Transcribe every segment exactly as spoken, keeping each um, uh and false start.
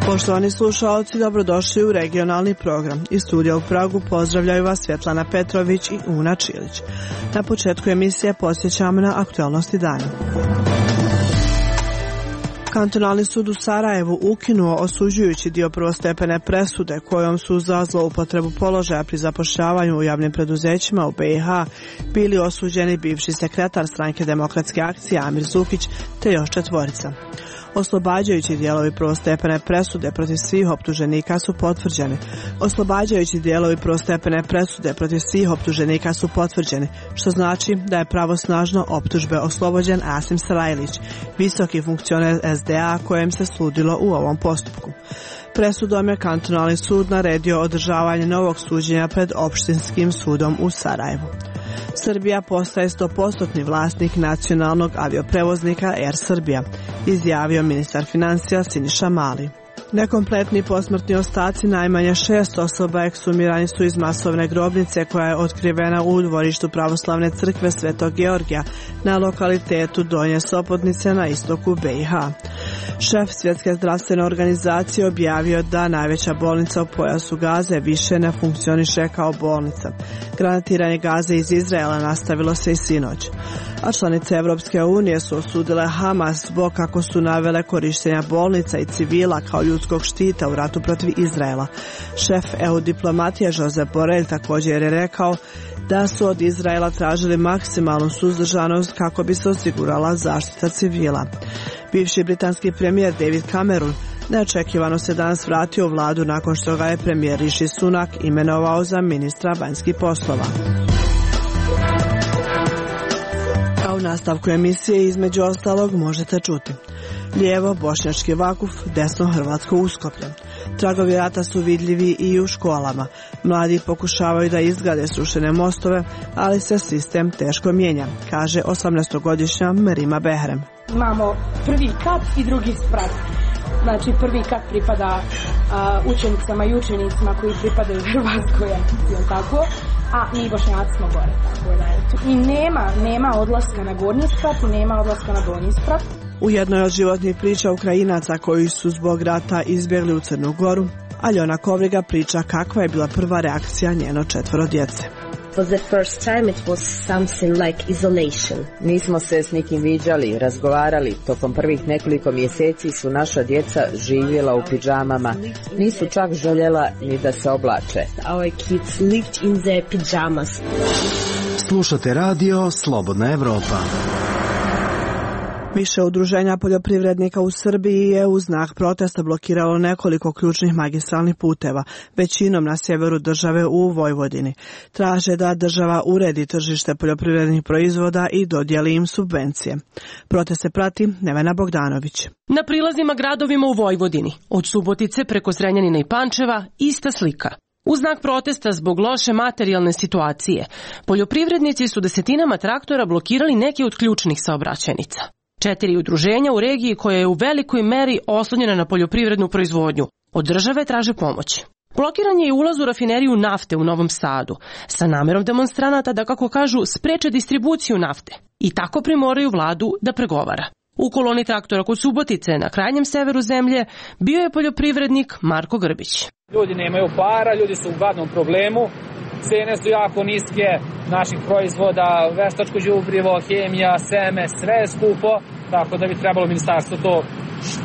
Poštovani slušaoci, dobrodošli u regionalni program. Iz studija u Pragu pozdravljaju vas Svjetlana Petrović i Una Čilić. Na početku emisije podsjećamo na aktualnosti dana. Kantonalni sud u Sarajevu ukinuo osuđujući dio prvostepene presude kojom su za zloupotrebu položaja pri zapošljavanju u javnim preduzećima u B i H bili osuđeni bivši sekretar Stranke demokratske akcije Amir Zukić te još četvorica. Oslobađajući dijelovi prvostepene presude protiv svih optuženika su potvrđeni. Oslobađajući dijelovi prvostepene presude protiv svih optuženika su potvrđeni, što znači da je pravosnažno optužbe oslobođen Asim Sarajlić, visoki funkcioner S D A kojem se sudilo u ovom postupku. Presudom je kantonalni sud naredio održavanje novog suđenja pred opštinskim sudom u Sarajevu. Srbija postaje sto posto vlasnik nacionalnog avioprevoznika Air Srbija, izjavio ministar financija Siniša Mali. Nekompletni posmrtni ostaci najmanje šest osoba eksumirani su iz masovne grobnice koja je otkrivena u dvorištu pravoslavne crkve Svetog Georgija na lokalitetu Donje Sopotnice na istoku B i H. Šef Svjetske zdravstvene organizacije objavio da najveća bolnica u pojasu Gaze više ne funkcioniše kao bolnica. Granatiranje Gaze iz Izraela nastavilo se i sinoć. A članice Evropske unije su osudile Hamas zbog kako su navele korištenja bolnica i civila kao ljudskog štita u ratu protiv Izraela. Šef E U diplomatije Josep Borrell također je rekao da su od Izraela tražili maksimalnu suzdržanost kako bi se osigurala zaštita civila. Bivši britanski premijer David Cameron neočekivano se danas vratio u vladu nakon što ga je premijer Rishi Sunak imenovao za ministra vanjskih poslova. A u nastavku emisije između ostalog možete čuti: lijevo bošnjački Vakuf, desno hrvatsko Uskoplje. Tragovi rata su vidljivi i u školama. Mladi pokušavaju da izgrade srušene mostove, ali se sistem teško mijenja, kaže osamnaestogodišnja Merima Behrem. Imamo prvi kat i drugi sprat. Znači prvi kat pripada a, učenicama i učenicima koji pripadaju Hrvatskoj, jel tako? A mi Bošnjaci smo gore. Tako da, i nema, nema odlaska na gornji sprat i nema odlaska na donji sprat. U jednoj od životnih priča Ukrajinaca koji su zbog rata izbjegli u Crnu Goru, Aljona Kovriga priča kakva je bila prva reakcija njeno četvoro djece. For the first time it was something like isolation. Nismo se s nikim viđali, razgovarali. Tokom prvih nekoliko mjeseci su naša djeca živjela u pidžamama. Nisu čak željela ni da se oblače. Our kids lived in their pajamas. Slušate radio Slobodna Evropa. Više udruženja poljoprivrednika u Srbiji je u znak protesta blokiralo nekoliko ključnih magistralnih puteva, većinom na sjeveru države u Vojvodini. Traže da država uredi tržište poljoprivrednih proizvoda i dodijeli im subvencije. Protest se prati Nevena Bogdanović. Na prilazima gradovima u Vojvodini, od Subotice preko Zrenjanina i Pančeva, ista slika. U znak protesta zbog loše materijalne situacije, poljoprivrednici su desetinama traktora blokirali neke od ključnih saobraćajnica. Četiri udruženja u regiji koja je u velikoj meri oslonjena na poljoprivrednu proizvodnju od države traže pomoć. Blokiran je i ulaz u rafineriju nafte u Novom Sadu, sa namerom demonstranata da, kako kažu, spreče distribuciju nafte i tako primoraju vladu da pregovara. U koloni traktora kod Subotice, na krajnjem severu zemlje, bio je poljoprivrednik Marko Grbić. Ljudi nemaju para, ljudi su u gadnom problemu, cene su jako niske naših proizvoda, veštačko đubrivo, hemija, seme, sve je skupo, tako da bi trebalo ministarstvo to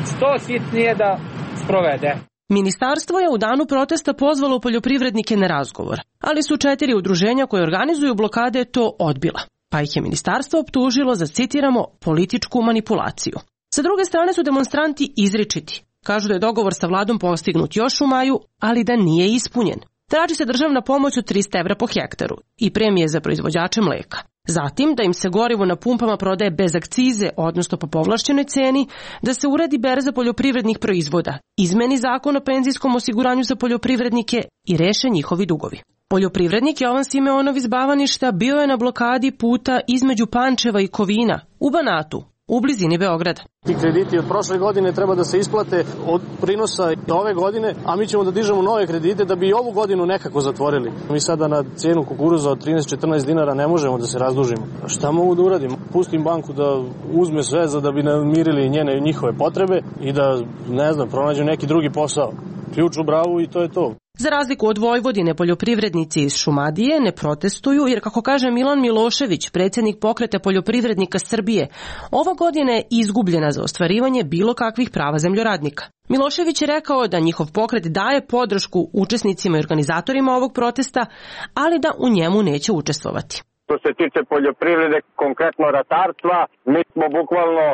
što hitnije da sprovede. Ministarstvo je u danu protesta pozvalo poljoprivrednike na razgovor, ali su četiri udruženja koje organizuju blokade to odbila, pa ih je ministarstvo optužilo za, citiramo, političku manipulaciju. Sa druge strane su demonstranti izričiti. Kažu da je dogovor sa vladom postignut još u maju, ali da nije ispunjen. Traži se državna pomoć od trista evra po hektaru i premije za proizvođače mleka. Zatim da im se gorivo na pumpama prodaje bez akcize, odnosno po povlašćenoj ceni, da se uredi berza poljoprivrednih proizvoda, izmeni zakon o penzijskom osiguranju za poljoprivrednike i reše njihovi dugovi. Poljoprivrednik Jovan Simeonov iz Bavaništa bio je na blokadi puta između Pančeva i Kovina u Banatu u blizini Beograda. Ti krediti od prošle godine treba da se isplate od prinosa ove godine, a mi ćemo da dižemo nove kredite da bi ovu godinu nekako zatvorili. Mi sada na cijenu kukuruza od trinaest četrnaest dinara ne možemo da se razdužimo. Šta mogu da uradim? Pustim banku da uzme sve za da bi namirili njene njihove potrebe i da, ne znam, pronađu neki drugi posao. Ključ u bravu i to je to. Za razliku od Vojvodine, poljoprivrednici iz Šumadije ne protestuju jer, kako kaže Milan Milošević, predsjednik Pokreta poljoprivrednika Srbije, ova godina je izgubljena za ostvarivanje bilo kakvih prava zemljoradnika. Milošević je rekao da njihov pokret daje podršku učesnicima i organizatorima ovog protesta, ali da u njemu neće učestvovati. Što se tiče poljoprivrede, konkretno ratarstva, mi smo bukvalno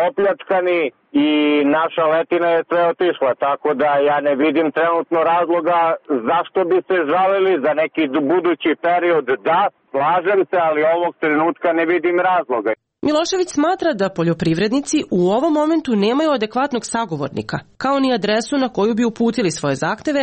opljačkani i naša letina je sve otišla, tako da ja ne vidim trenutno razloga zašto bi se žalili za neki budući period. Da, slažem se, ali ovog trenutka ne vidim razloga. Milošević smatra da poljoprivrednici u ovom momentu nemaju adekvatnog sagovornika, kao ni adresu na koju bi uputili svoje zahteve,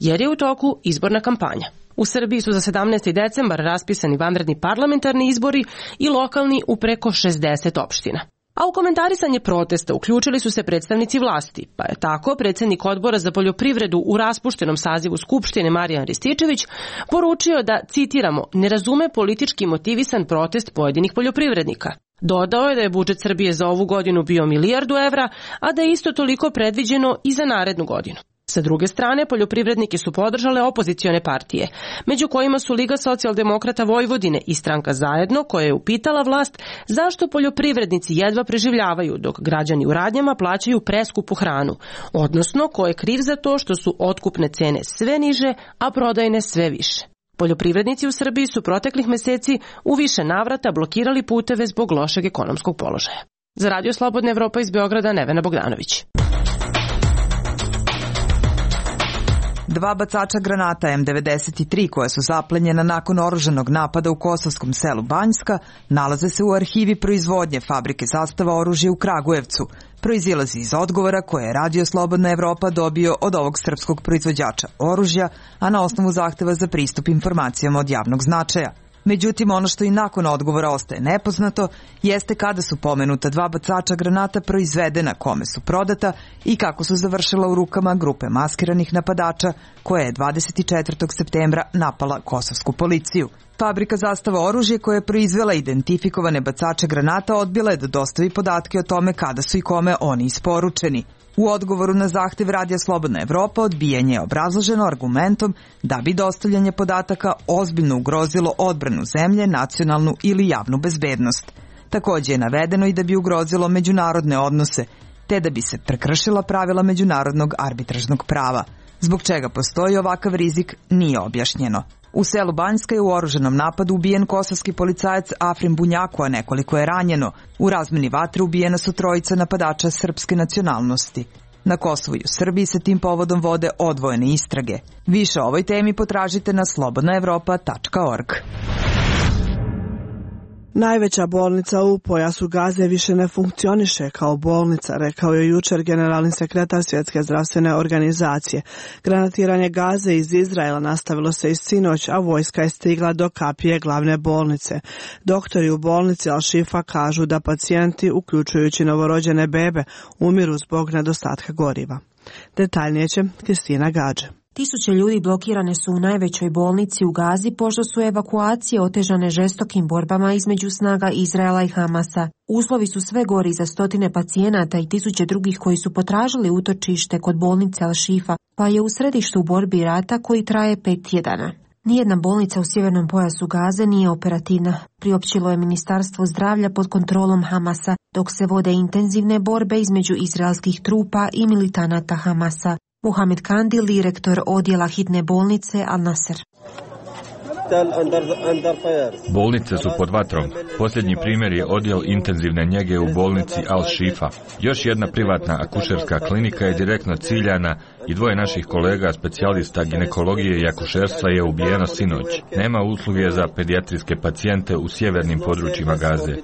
jer je u toku izborna kampanja. U Srbiji su za sedamnaesti decembar raspisani vanredni parlamentarni izbori i lokalni u preko šezdeset opština. A u komentarisanje protesta uključili su se predstavnici vlasti, pa je tako predsjednik Odbora za poljoprivredu u raspuštenom sazivu Skupštine Marijan Rističević poručio da, citiramo, ne razume politički motivisan protest pojedinih poljoprivrednika. Dodao je da je budžet Srbije za ovu godinu bio milijardu evra, a da je isto toliko predviđeno i za narednu godinu. Sa druge strane, poljoprivrednike su podržale opozicione partije, među kojima su Liga socijaldemokrata Vojvodine i Stranka Zajedno, koja je upitala vlast zašto poljoprivrednici jedva preživljavaju dok građani u radnjama plaćaju preskupu hranu, odnosno ko je kriv za to što su otkupne cene sve niže, a prodajne sve više. Poljoprivrednici u Srbiji su proteklih meseci u više navrata blokirali puteve zbog lošeg ekonomskog položaja. Za Radio Slobodna Evropa iz Beograda, Nevena Bogdanović. Dva bacača granata M devedeset tri koja su zaplenjena nakon oružanog napada u kosovskom selu Banjska nalaze se u arhivi proizvodnje fabrike Zastava oružja u Kragujevcu. Proizilazi iz odgovora koje je Radio Slobodna Evropa dobio od ovog srpskog proizvođača oružja, a na osnovu zahteva za pristup informacijama od javnog značaja. Međutim, ono što i nakon odgovora ostaje nepoznato jeste kada su pomenuta dva bacača granata proizvedena, kome su prodata i kako su završila u rukama grupe maskiranih napadača koja je dvadeset četvrtog septembra napala kosovsku policiju. Fabrika Zastava oružje koja je proizvela identifikovane bacače granata odbila je da dostavi podatke o tome kada su i kome oni isporučeni. U odgovoru na zahtev Radija Slobodna Evropa odbijanje je obrazloženo argumentom da bi dostavljanje podataka ozbiljno ugrozilo odbranu zemlje, nacionalnu ili javnu bezbednost. Također je navedeno i da bi ugrozilo međunarodne odnose, te da bi se prekršila pravila međunarodnog arbitražnog prava. Zbog čega postoji ovakav rizik nije objašnjeno. U selu Banjska je u oružanom napadu ubijen kosovski policajac Afrim Bunjaku, a nekoliko je ranjeno. U razmeni vatre ubijena su trojica napadača srpske nacionalnosti. Na Kosovu i u Srbiji se tim povodom vode odvojene istrage. Više o ovoj temi potražite na slobodna evropa tačka org. Najveća bolnica u pojasu Gaze više ne funkcioniše kao bolnica, rekao je jučer generalni sekretar Svjetske zdravstvene organizacije. Granatiranje Gaze iz Izraela nastavilo se i sinoć, a vojska je stigla do kapije glavne bolnice. Doktori u bolnici Al-Shifa kažu da pacijenti, uključujući novorođene bebe, umiru zbog nedostatka goriva. Detaljnije će Kristina Gađe. Tisuće ljudi blokirane su u najvećoj bolnici u Gazi pošto su evakuacije otežane žestokim borbama između snaga Izraela i Hamasa. Uslovi su sve gori za stotine pacijenata i tisuće drugih koji su potražili utočište kod bolnice Al-Shifa, pa je u središtu borbi rata koji traje pet tjedana. Nijedna bolnica u sjevernom pojasu Gaze nije operativna, priopćilo je Ministarstvo zdravlja pod kontrolom Hamasa, dok se vode intenzivne borbe između izraelskih trupa i militanata Hamasa. Muhamed Kandil, direktor odjela hitne bolnice Al-Nasr. Bolnice su pod vatrom. Posljednji primjer je odjel intenzivne njege u bolnici Al-Shifa. Još jedna privatna akušerska klinika je direktno ciljana i dvoje naših kolega, specijalista ginekologije i akušerstva, je ubijeno sinoć. Nema usluge za pedijatrijske pacijente u sjevernim područjima Gaze.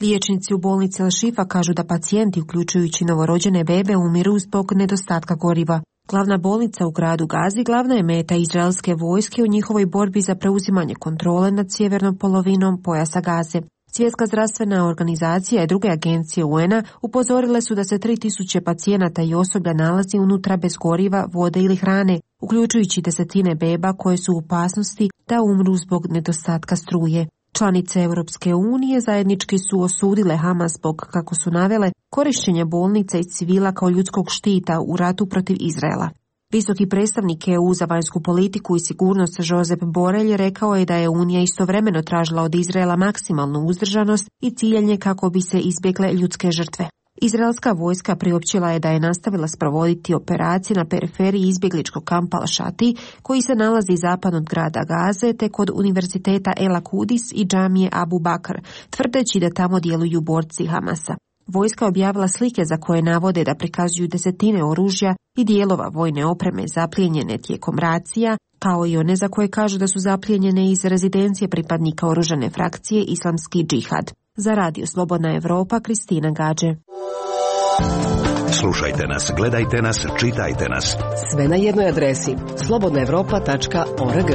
Liječnici u bolnici Al-Shifa kažu da pacijenti, uključujući novorođene bebe, umiru zbog nedostatka goriva. Glavna bolnica u gradu Gazi glavna je meta izraelske vojske u njihovoj borbi za preuzimanje kontrole nad sjevernom polovinom pojasa Gaze. Svjetska zdravstvena organizacija i druge agencije U N-a upozorile su da se tri tisuće pacijenata i osoblja nalazi unutra bez goriva, vode ili hrane, uključujući desetine beba koje su u opasnosti da umru zbog nedostatka struje. Članice Europske unije zajednički su osudile Hamas zbog, kako su navele, korišćenja bolnica i civila kao ljudskog štita u ratu protiv Izraela. Visoki predstavnik E U za vanjsku politiku i sigurnost Josep Borrell rekao je da je Unija istovremeno tražila od Izraela maksimalnu uzdržanost i ciljanje kako bi se izbjegle ljudske žrtve. Izraelska vojska priopćila je da je nastavila sprovoditi operacije na periferiji izbjegličkog kampa Al-Shati, koji se nalazi zapadno od grada Gaze, te kod univerziteta El Akudis i džamije Abu Bakr, tvrdeći da tamo djeluju borci Hamasa. Vojska je objavila slike za koje navode da prikazuju desetine oružja i dijelova vojne opreme zaplijenjene tijekom racija, kao i one za koje kažu da su zaplijenjene iz rezidencije pripadnika oružane frakcije Islamski džihad. Za Radio Slobodna Evropa, Kristina Gađe. Slušajte nas, gledajte nas, čitajte nas. Sve na jednoj adresi slobodna evropa tačka org.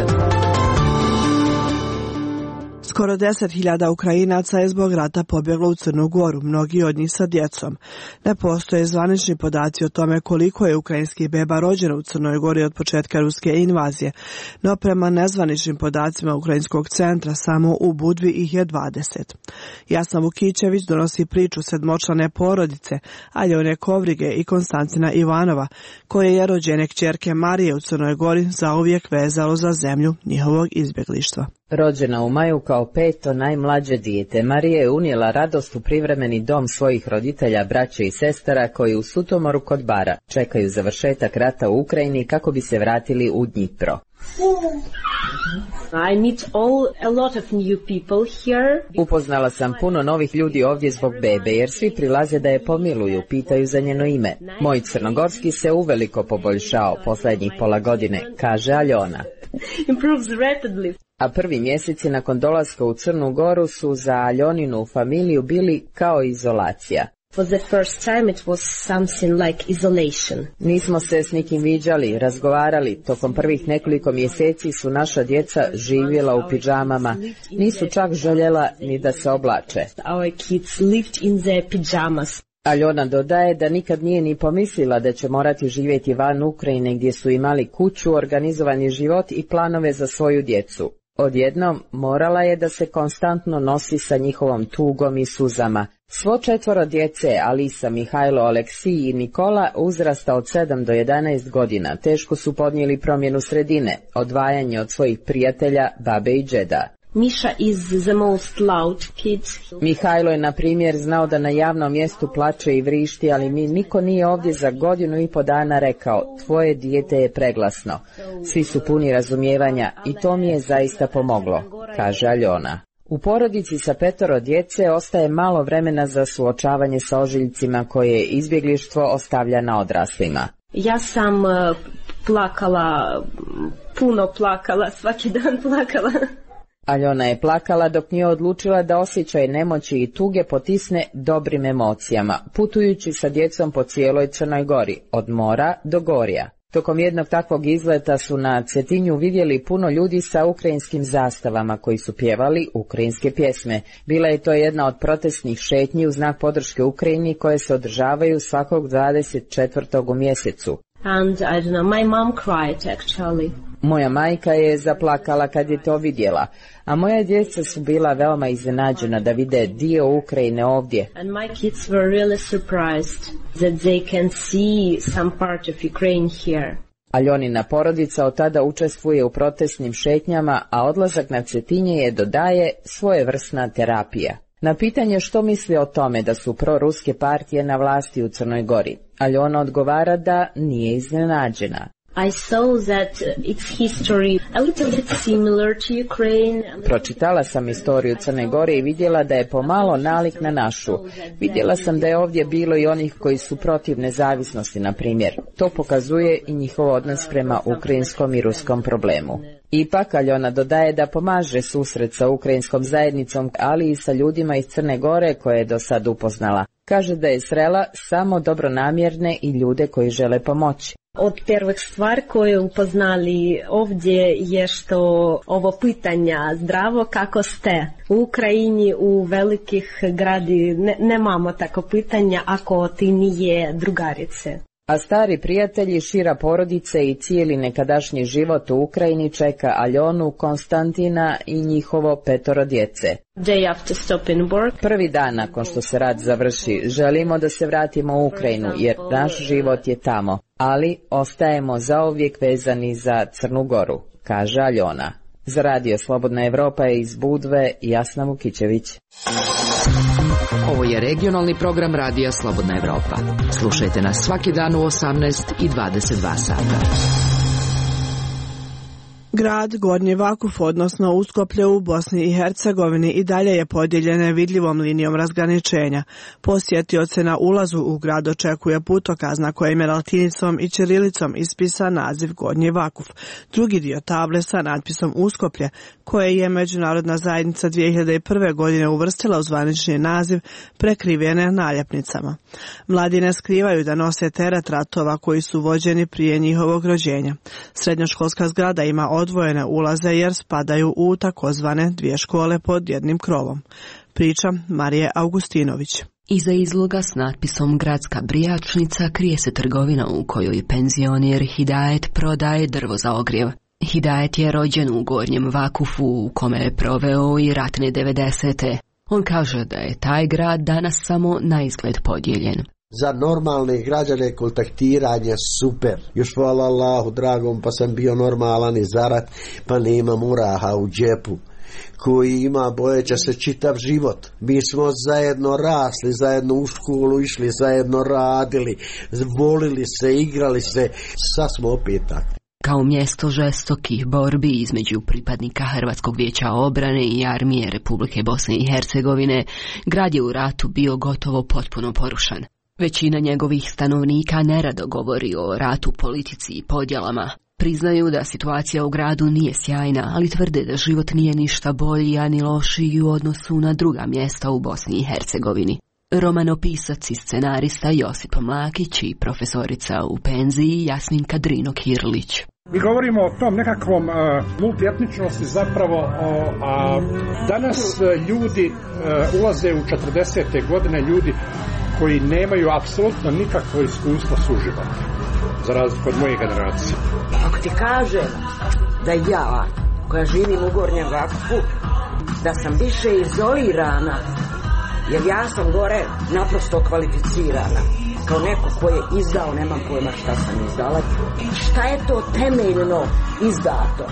Skoro deset hiljada Ukrajinaca je zbog rata pobjeglo u Crnu Goru, mnogi od njih sa djecom. Ne postoje zvanični podaci o tome koliko je ukrajinskih beba rođeno u Crnoj Gori od početka ruske invazije, no prema nezvaničnim podacima Ukrajinskog centra samo u Budvi ih je dvadeset. Jasna Vukićević donosi priču sedmočlane porodice Aljone Kovrige i Konstantina Ivanova, koje je rođene kćerke Marije u Crnoj Gori zauvijek vezalo za zemlju njihovog izbjeglištva. Rođena u maju kao peto najmlađe dijete, Marija je unijela radost u privremeni dom svojih roditelja, braće i sestara koji u Sutomoru kod Bara čekaju završetak rata u Ukrajini kako bi se vratili u Dnjipro. I meet all, a lot of new people here. Upoznala sam puno novih ljudi ovdje zbog bebe, jer svi prilaze da je pomiluju, pitaju za njeno ime. Moj crnogorski se uveliko poboljšao posljednjih pola godine, kaže Aljona. Improves rapidly. A prvi mjeseci nakon dolaska u Crnu Goru su za Aljoninu familiju bili kao izolacija. For the first time it was something like isolation. Nismo se s nikim viđali, razgovarali. Tokom prvih nekoliko mjeseci su naša djeca živjela u pidžamama. Nisu čak željela ni da se oblače. Our kids lived in their pajamas. Aljona dodaje da nikad nije ni pomislila da će morati živjeti van Ukrajine gdje su imali kuću, organizovani život i planove za svoju djecu. Odjednom morala je da se konstantno nosi sa njihovom tugom i suzama. Svo četvoro djece, Alisa, Mihajlo, Aleksij i Nikola, uzrasta od sedam do jedanaest godina, teško su podnijeli promjenu sredine, odvajanje od svojih prijatelja, babe i džeda. Misha is the most loud kid. Mihajlo je, na primjer, znao da na javnom mjestu plače i vrišti, ali mi niko nije ovdje za godinu i po dana rekao, tvoje dijete je preglasno. Svi su puni razumijevanja i to mi je zaista pomoglo, kaže Aljona. U porodici sa petoro djece ostaje malo vremena za suočavanje sa ožiljcima koje izbjeglištvo ostavlja na odraslima. Ja sam uh, plakala, puno plakala, svaki dan plakala. Aljona je plakala dok nije odlučila da osjećaj nemoći i tuge potisne dobrim emocijama, putujući sa djecom po cijeloj Crnoj Gori, od mora do gorja. Tokom jednog takvog izleta su na Cetinju vidjeli puno ljudi sa ukrajinskim zastavama koji su pjevali ukrajinske pjesme. Bila je to jedna od protestnih šetnji u znak podrške Ukrajini koje se održavaju svakog dvadeset četvrtog u mjesecu. And I don't know, my mom cried actually. Moja majka je zaplakala kad je to vidjela, a moja djeca su bila veoma iznenađena da vide dio Ukrajine ovdje. And my kids were really surprised that they can see some part of Ukraine here. Aljonina porodica od tada učestvuje u protestnim šetnjama, a odlazak na Cetinje je, dodaje, svojevrsna terapija. Na pitanje što misli o tome da su proruske partije na vlasti u Crnoj Gori, Aljona odgovara da nije iznenađena. I saw that its history a little bit similar to Ukraine. Pročitala sam istoriju Crne Gore i vidjela da je pomalo nalik na našu. Vidjela sam da je ovdje bilo i onih koji su protiv nezavisnosti, na primjer. To pokazuje i njihov odnos prema ukrajinskom i ruskom problemu. Ipak, Aljona dodaje da pomaže susret sa ukrajinskom zajednicom, ali i sa ljudima iz Crne Gore koje je do sad upoznala. Kaže da je srela samo dobronamjerne i ljude koji žele pomoći. Od prvih stvari koje upoznali ovdje je što ovo pitanja zdravo kako ste. U Ukrajini u velikih gradi ne, nemamo tako pitanja ako ti nije drugarice. A stari prijatelji, šira porodice i cijeli nekadašnji život u Ukrajini čeka Aljonu, Konstantina i njihovo petoro djece. Day after stop in work. Prvi dan nakon što se rat završi, želimo da se vratimo u Ukrajinu jer naš život je tamo, ali ostajemo zauvijek vezani za Crnu Goru, kaže Aljona. Za radio Slobodna Evropa je iz Budve Jasna Vukićević. Ovo je regionalni program radija Slobodna Evropa. Slušajte nas svaki dan u osamnaest i dvadeset dva sata. Grad Gornji Vakuf, odnosno Uskoplje u Bosni i Hercegovini, i dalje je podijeljen nevidljivom linijom razgraničenja. Posjetioce na ulazu u grad očekuje putokaz na kojem je latinicom i ćirilicom ispisan naziv Gornji Vakuf. Drugi dio table sa natpisom Uskoplje, koje je međunarodna zajednica dvije hiljade prve. godine uvrstila u zvanični naziv, prekrivene naljepnicama. Mladi ne skrivaju da nose teret ratova koji su vođeni prije njihovog rođenja. Srednjoškolska zgrada ima odvojene ulaze jer spadaju u takozvane dvije škole pod jednim krovom. Priča Marije Augustinović. Iza izloga s natpisom Gradska brijačnica krije se trgovina u kojoj penzioner Hidajet prodaje drvo za ogrjev. Hidajet je rođen u Gornjem Vakufu u kome je proveo i ratne devedesete. On kaže da je taj grad danas samo na izgled podijeljen. Za normalne građane kontaktiranje super. Još hvala Allahu dragom, pa sam bio normalan i zarat, pa nema muraha u džepu. Koji ima bojeća se čitav život. Mi smo zajedno rasli, zajedno u školu išli, zajedno radili, volili se, igrali se, sad smo opet takvi. Kao mjesto žestokih borbi između pripadnika Hrvatskog vijeća obrane i armije Republike Bosne i Hercegovine, grad je u ratu bio gotovo potpuno porušen. Većina njegovih stanovnika nerado govori o ratu, politici i podjelama. Priznaju da situacija u gradu nije sjajna, ali tvrde da život nije ništa bolji, a ni lošiji u odnosu na druga mjesta u Bosni i Hercegovini. Romanopisac i scenarista Josip Mlakić i profesorica u penziji Jasminka Drino-Kirlić. Mi govorimo o tom nekakvom uh, multietničnosti zapravo, uh, a danas uh, ljudi uh, ulaze u četrdesete godine, ljudi koji nemaju apsolutno nikakvo iskustvo suživota, za razliku od moje generacije. Ako ti kažem da ja, koja živim u Gornjem Vakufu, da sam više izolirana, jer ja sam gore naprosto kvalificirana, kao neko ko je izdao, nemam pojma šta sam izdala, šta je to temeljno izdato.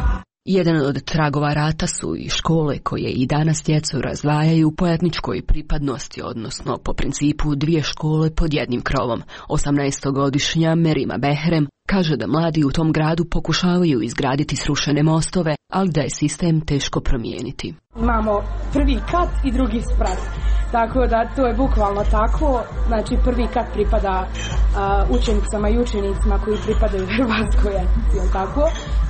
Jedan od tragova rata su i škole koje i danas djecu razdvajaju po etničkoj pripadnosti, odnosno po principu dvije škole pod jednim krovom. osamnaestogodišnja Merima Behrem kaže da mladi u tom gradu pokušavaju izgraditi srušene mostove, ali da je sistem teško promijeniti. Imamo prvi kat i drugi sprat. Tako da to je bukvalno tako, znači prvi kat pripada uh, učenicama i učenicima koji pripadaju Hrvatskoj, jel tako,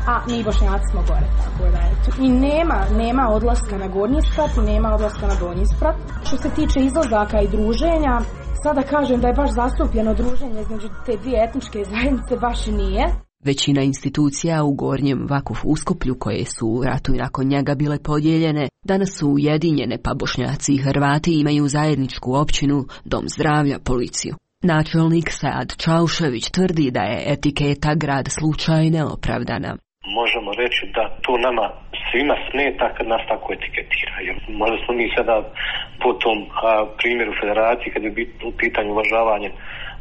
a mi Bošnjaci smo gore, tako da je to. I nema, nema odlaska na gornji sprat i nema odlaska na donji sprat. Što se tiče izlazaka i druženja, sada kažem da je baš zastupljeno druženje između te dvije etničke zajednice, baš i nije. Većina institucija u Gornjem Vakufu Uskoplju, koje su u ratu i nakon njega bile podijeljene, danas su ujedinjene, pa Bošnjaci i Hrvati imaju zajedničku općinu, dom zdravlja, policiju. Načelnik Sad Čaušević tvrdi da je etiketa grad slučaj neopravdana. Možemo reći da to nama svima smeta kad nas tako etiketiraju. Možda smo mi sada po tom a, primjeru federacije, kad je u pitanju uvažavanje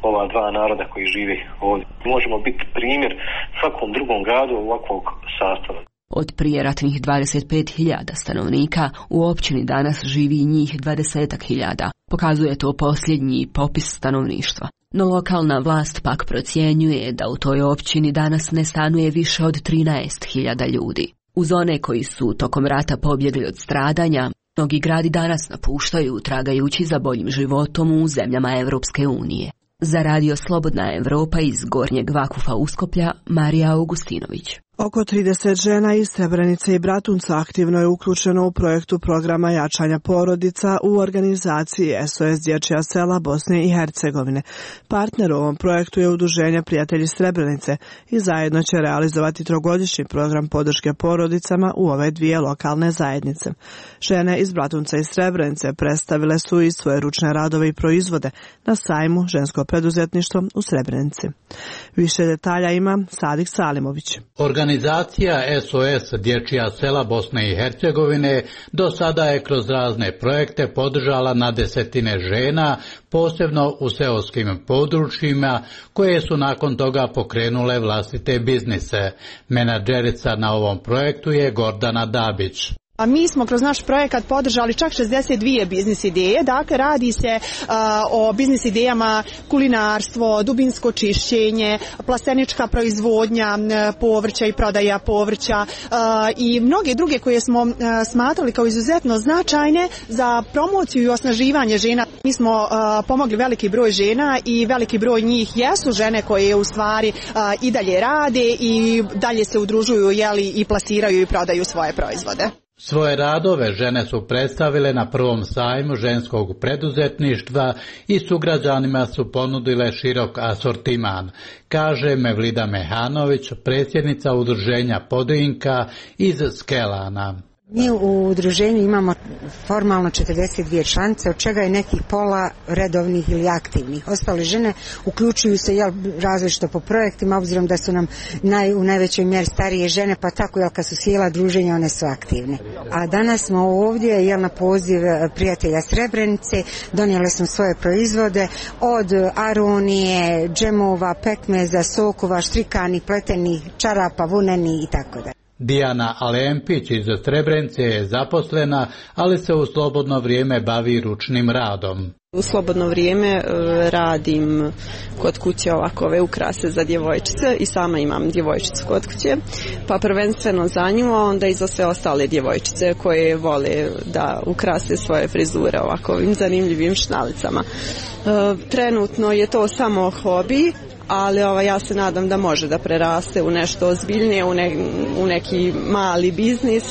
ova dva naroda koji žive ovdje. Možemo biti primjer svakom drugom gradu ovakvog sastava. Od prijeratnih dvadeset pet hiljada stanovnika u općini danas živi njih dvadeset hiljada. Pokazuje to posljednji popis stanovništva. No lokalna vlast pak procjenjuje da u toj općini danas ne stanuje više od trinaest hiljada ljudi. Uz one koji su tokom rata pobjegli od stradanja, mnogi gradi danas napuštaju tragajući za boljim životom u zemljama Evropske unije. Za radio Slobodna Evropa iz Gornjeg Vakufa Uskoplja, Marija Augustinović. Oko trideset žena iz Srebrenice i Bratunca aktivno je uključeno u projektu programa jačanja porodica u organizaciji S O S Dječja sela Bosne i Hercegovine. Partner u ovom projektu je Udruženje Prijatelji Srebrenice i zajedno će realizovati trogodišnji program podrške porodicama u ove dvije lokalne zajednice. Žene iz Bratunca i Srebrenice predstavile su i svoje ručne radove i proizvode na sajmu Žensko preduzetništvo u Srebrenici. Više detalja ima Sadik Salimović. Organizacija S O S Dječja sela Bosne i Hercegovine do sada je kroz razne projekte podržala na desetine žena, posebno u seoskim područjima, koje su nakon toga pokrenule vlastite biznise. Menadžerica na ovom projektu je Gordana Dabić. A mi smo kroz naš projekat podržali čak šezdeset dvije biznis ideje, dakle radi se uh, o biznis idejama kulinarstvo, dubinsko čišćenje, plastenička proizvodnja povrća i prodaja povrća uh, i mnoge druge koje smo uh, smatrali kao izuzetno značajne za promociju i osnaživanje žena. Mi smo uh, pomogli veliki broj žena i veliki broj njih jesu žene koje u stvari uh, i dalje rade i dalje se udružuju, jeli, i plasiraju i prodaju svoje proizvode. Svoje radove žene su predstavile na prvom sajmu ženskog preduzetništva i sugrađanima su ponudile širok asortiman, kaže Mevlida Mehanović, predsjednica udruženja Podrinka iz Skelana. Mi u udruženju imamo formalno četrdeset dvije članice, od čega je nekih pola redovnih ili aktivnih. Ostale žene uključuju se jel, različito po projektima, obzirom da su nam naj, u najvećoj mjeri starije žene, pa tako jel, kad su sjela druženja, one su aktivne. A danas smo ovdje jel, na poziv prijatelja Srebrenice, donijeli smo svoje proizvode od aronije, džemova, pekmeza, sokova, štrikanih, pletenih, čarapa, vuneni i tako dalje. Dijana Alempić iz Srebrenice je zaposlena, ali se u slobodno vrijeme bavi ručnim radom. U slobodno vrijeme radim kod kuće ovakove ukrase za djevojčice i sama imam djevojčicu kod kuće, pa prvenstveno za nju, a onda i za sve ostale djevojčice koje vole da ukrase svoje frizure ovakvim zanimljivim šnalicama. Trenutno je to samo hobi, ali ova, ja se nadam da može da preraste u nešto ozbiljnije, u, ne, u neki mali biznis.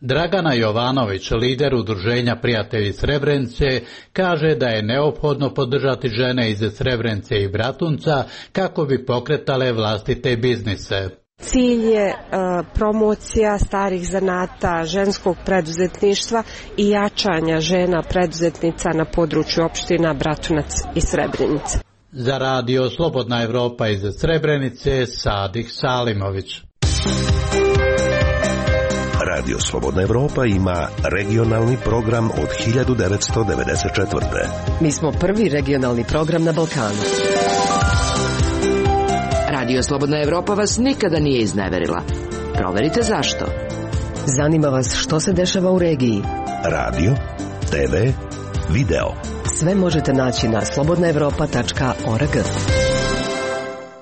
Dragana Jovanović, lider udruženja Prijatelji Srebrenice, kaže da je neophodno podržati žene iz Srebrenice i Bratunca kako bi pokretale vlastite biznise. Cilj je uh, promocija starih zanata, ženskog preduzetništva i jačanja žena preduzetnica na području opština Bratunac i Srebrenica. Za radio Slobodna Evropa iz Srebrenice, Sadik Salimović. Radio Slobodna Evropa ima regionalni program od hiljadu devetsto devedeset četvrte. Mi smo prvi regionalni program na Balkanu. Radio Slobodna Evropa vas nikada nije izneverila. Proverite zašto. Zanima vas što se dešava u regiji. Radio, te ve, video. Sve možete naći na slobodna evropa tačka org.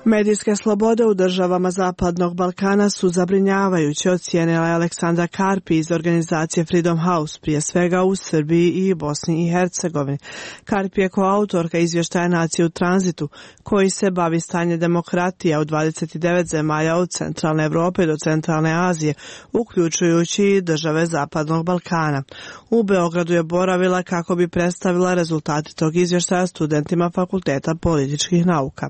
Medijske slobode u državama Zapadnog Balkana su zabrinjavajuće, ocijenila je Aleksandra Karpi iz organizacije Freedom House, prije svega u Srbiji i Bosni i Hercegovini. Karpi je koautorka izvještaja Nacije u tranzitu, koji se bavi stanje demokratije u dvadeset devet zemalja od centralne Evrope do centralne Azije, uključujući i države Zapadnog Balkana. U Beogradu je boravila kako bi predstavila rezultate tog izvještaja studentima Fakulteta političkih nauka.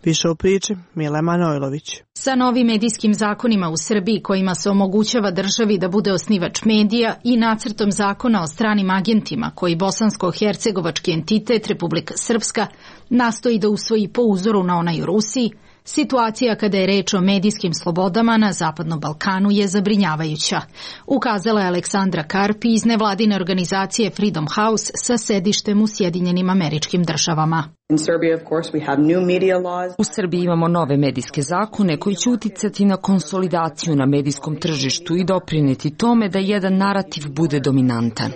Više u priči Mile Manojlović. Sa novim medijskim zakonima u Srbiji kojima se omogućava državi da bude osnivač medija i nacrtom zakona o stranim agentima koji bosansko-hercegovački entitet Republika Srpska nastoji da usvoji po uzoru na onaj u Rusiji, situacija kada je reč o medijskim slobodama na Zapadnom Balkanu je zabrinjavajuća, ukazala je Aleksandra Karpi iz nevladine organizacije Freedom House sa sedištem u Sjedinjenim Američkim Državama. U Srbiji imamo nove medijske zakone koji će uticati na konsolidaciju na medijskom tržištu i doprinijeti tome da jedan narativ bude dominantan.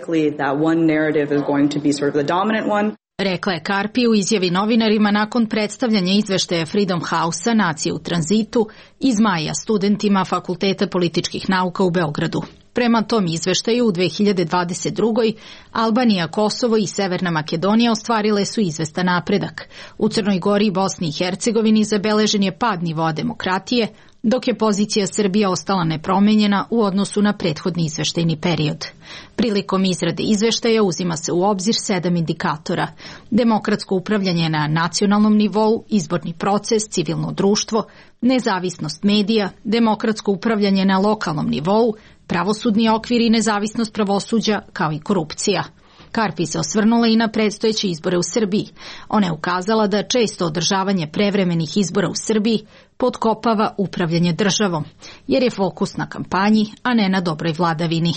Rekla je Karpi u izjavi novinarima nakon predstavljanja izveštaja Freedom House-a Nacije u tranzitu iz maja studentima Fakulteta političkih nauka u Beogradu. Prema tom izveštaju u dve hiljade dvadeset drugoj. Albanija, Kosovo i Severna Makedonija ostvarile su izvestan napredak. U Crnoj Gori i Bosni i Hercegovini zabeležen je pad nivoa demokratije, dok je pozicija Srbije ostala nepromenjena u odnosu na prethodni izveštajni period. Prilikom izrade izveštaja uzima se u obzir sedam indikatora: demokratsko upravljanje na nacionalnom nivou, izborni proces, civilno društvo, nezavisnost medija, demokratsko upravljanje na lokalnom nivou, pravosudni okvir i nezavisnost pravosuđa, kao i korupcija. Karpi se osvrnula i na predstojeće izbore u Srbiji. Ona je ukazala da često održavanje prevremenih izbora u Srbiji potkopava upravljanje državom, jer je fokus na kampanji, a ne na dobroj vladavini.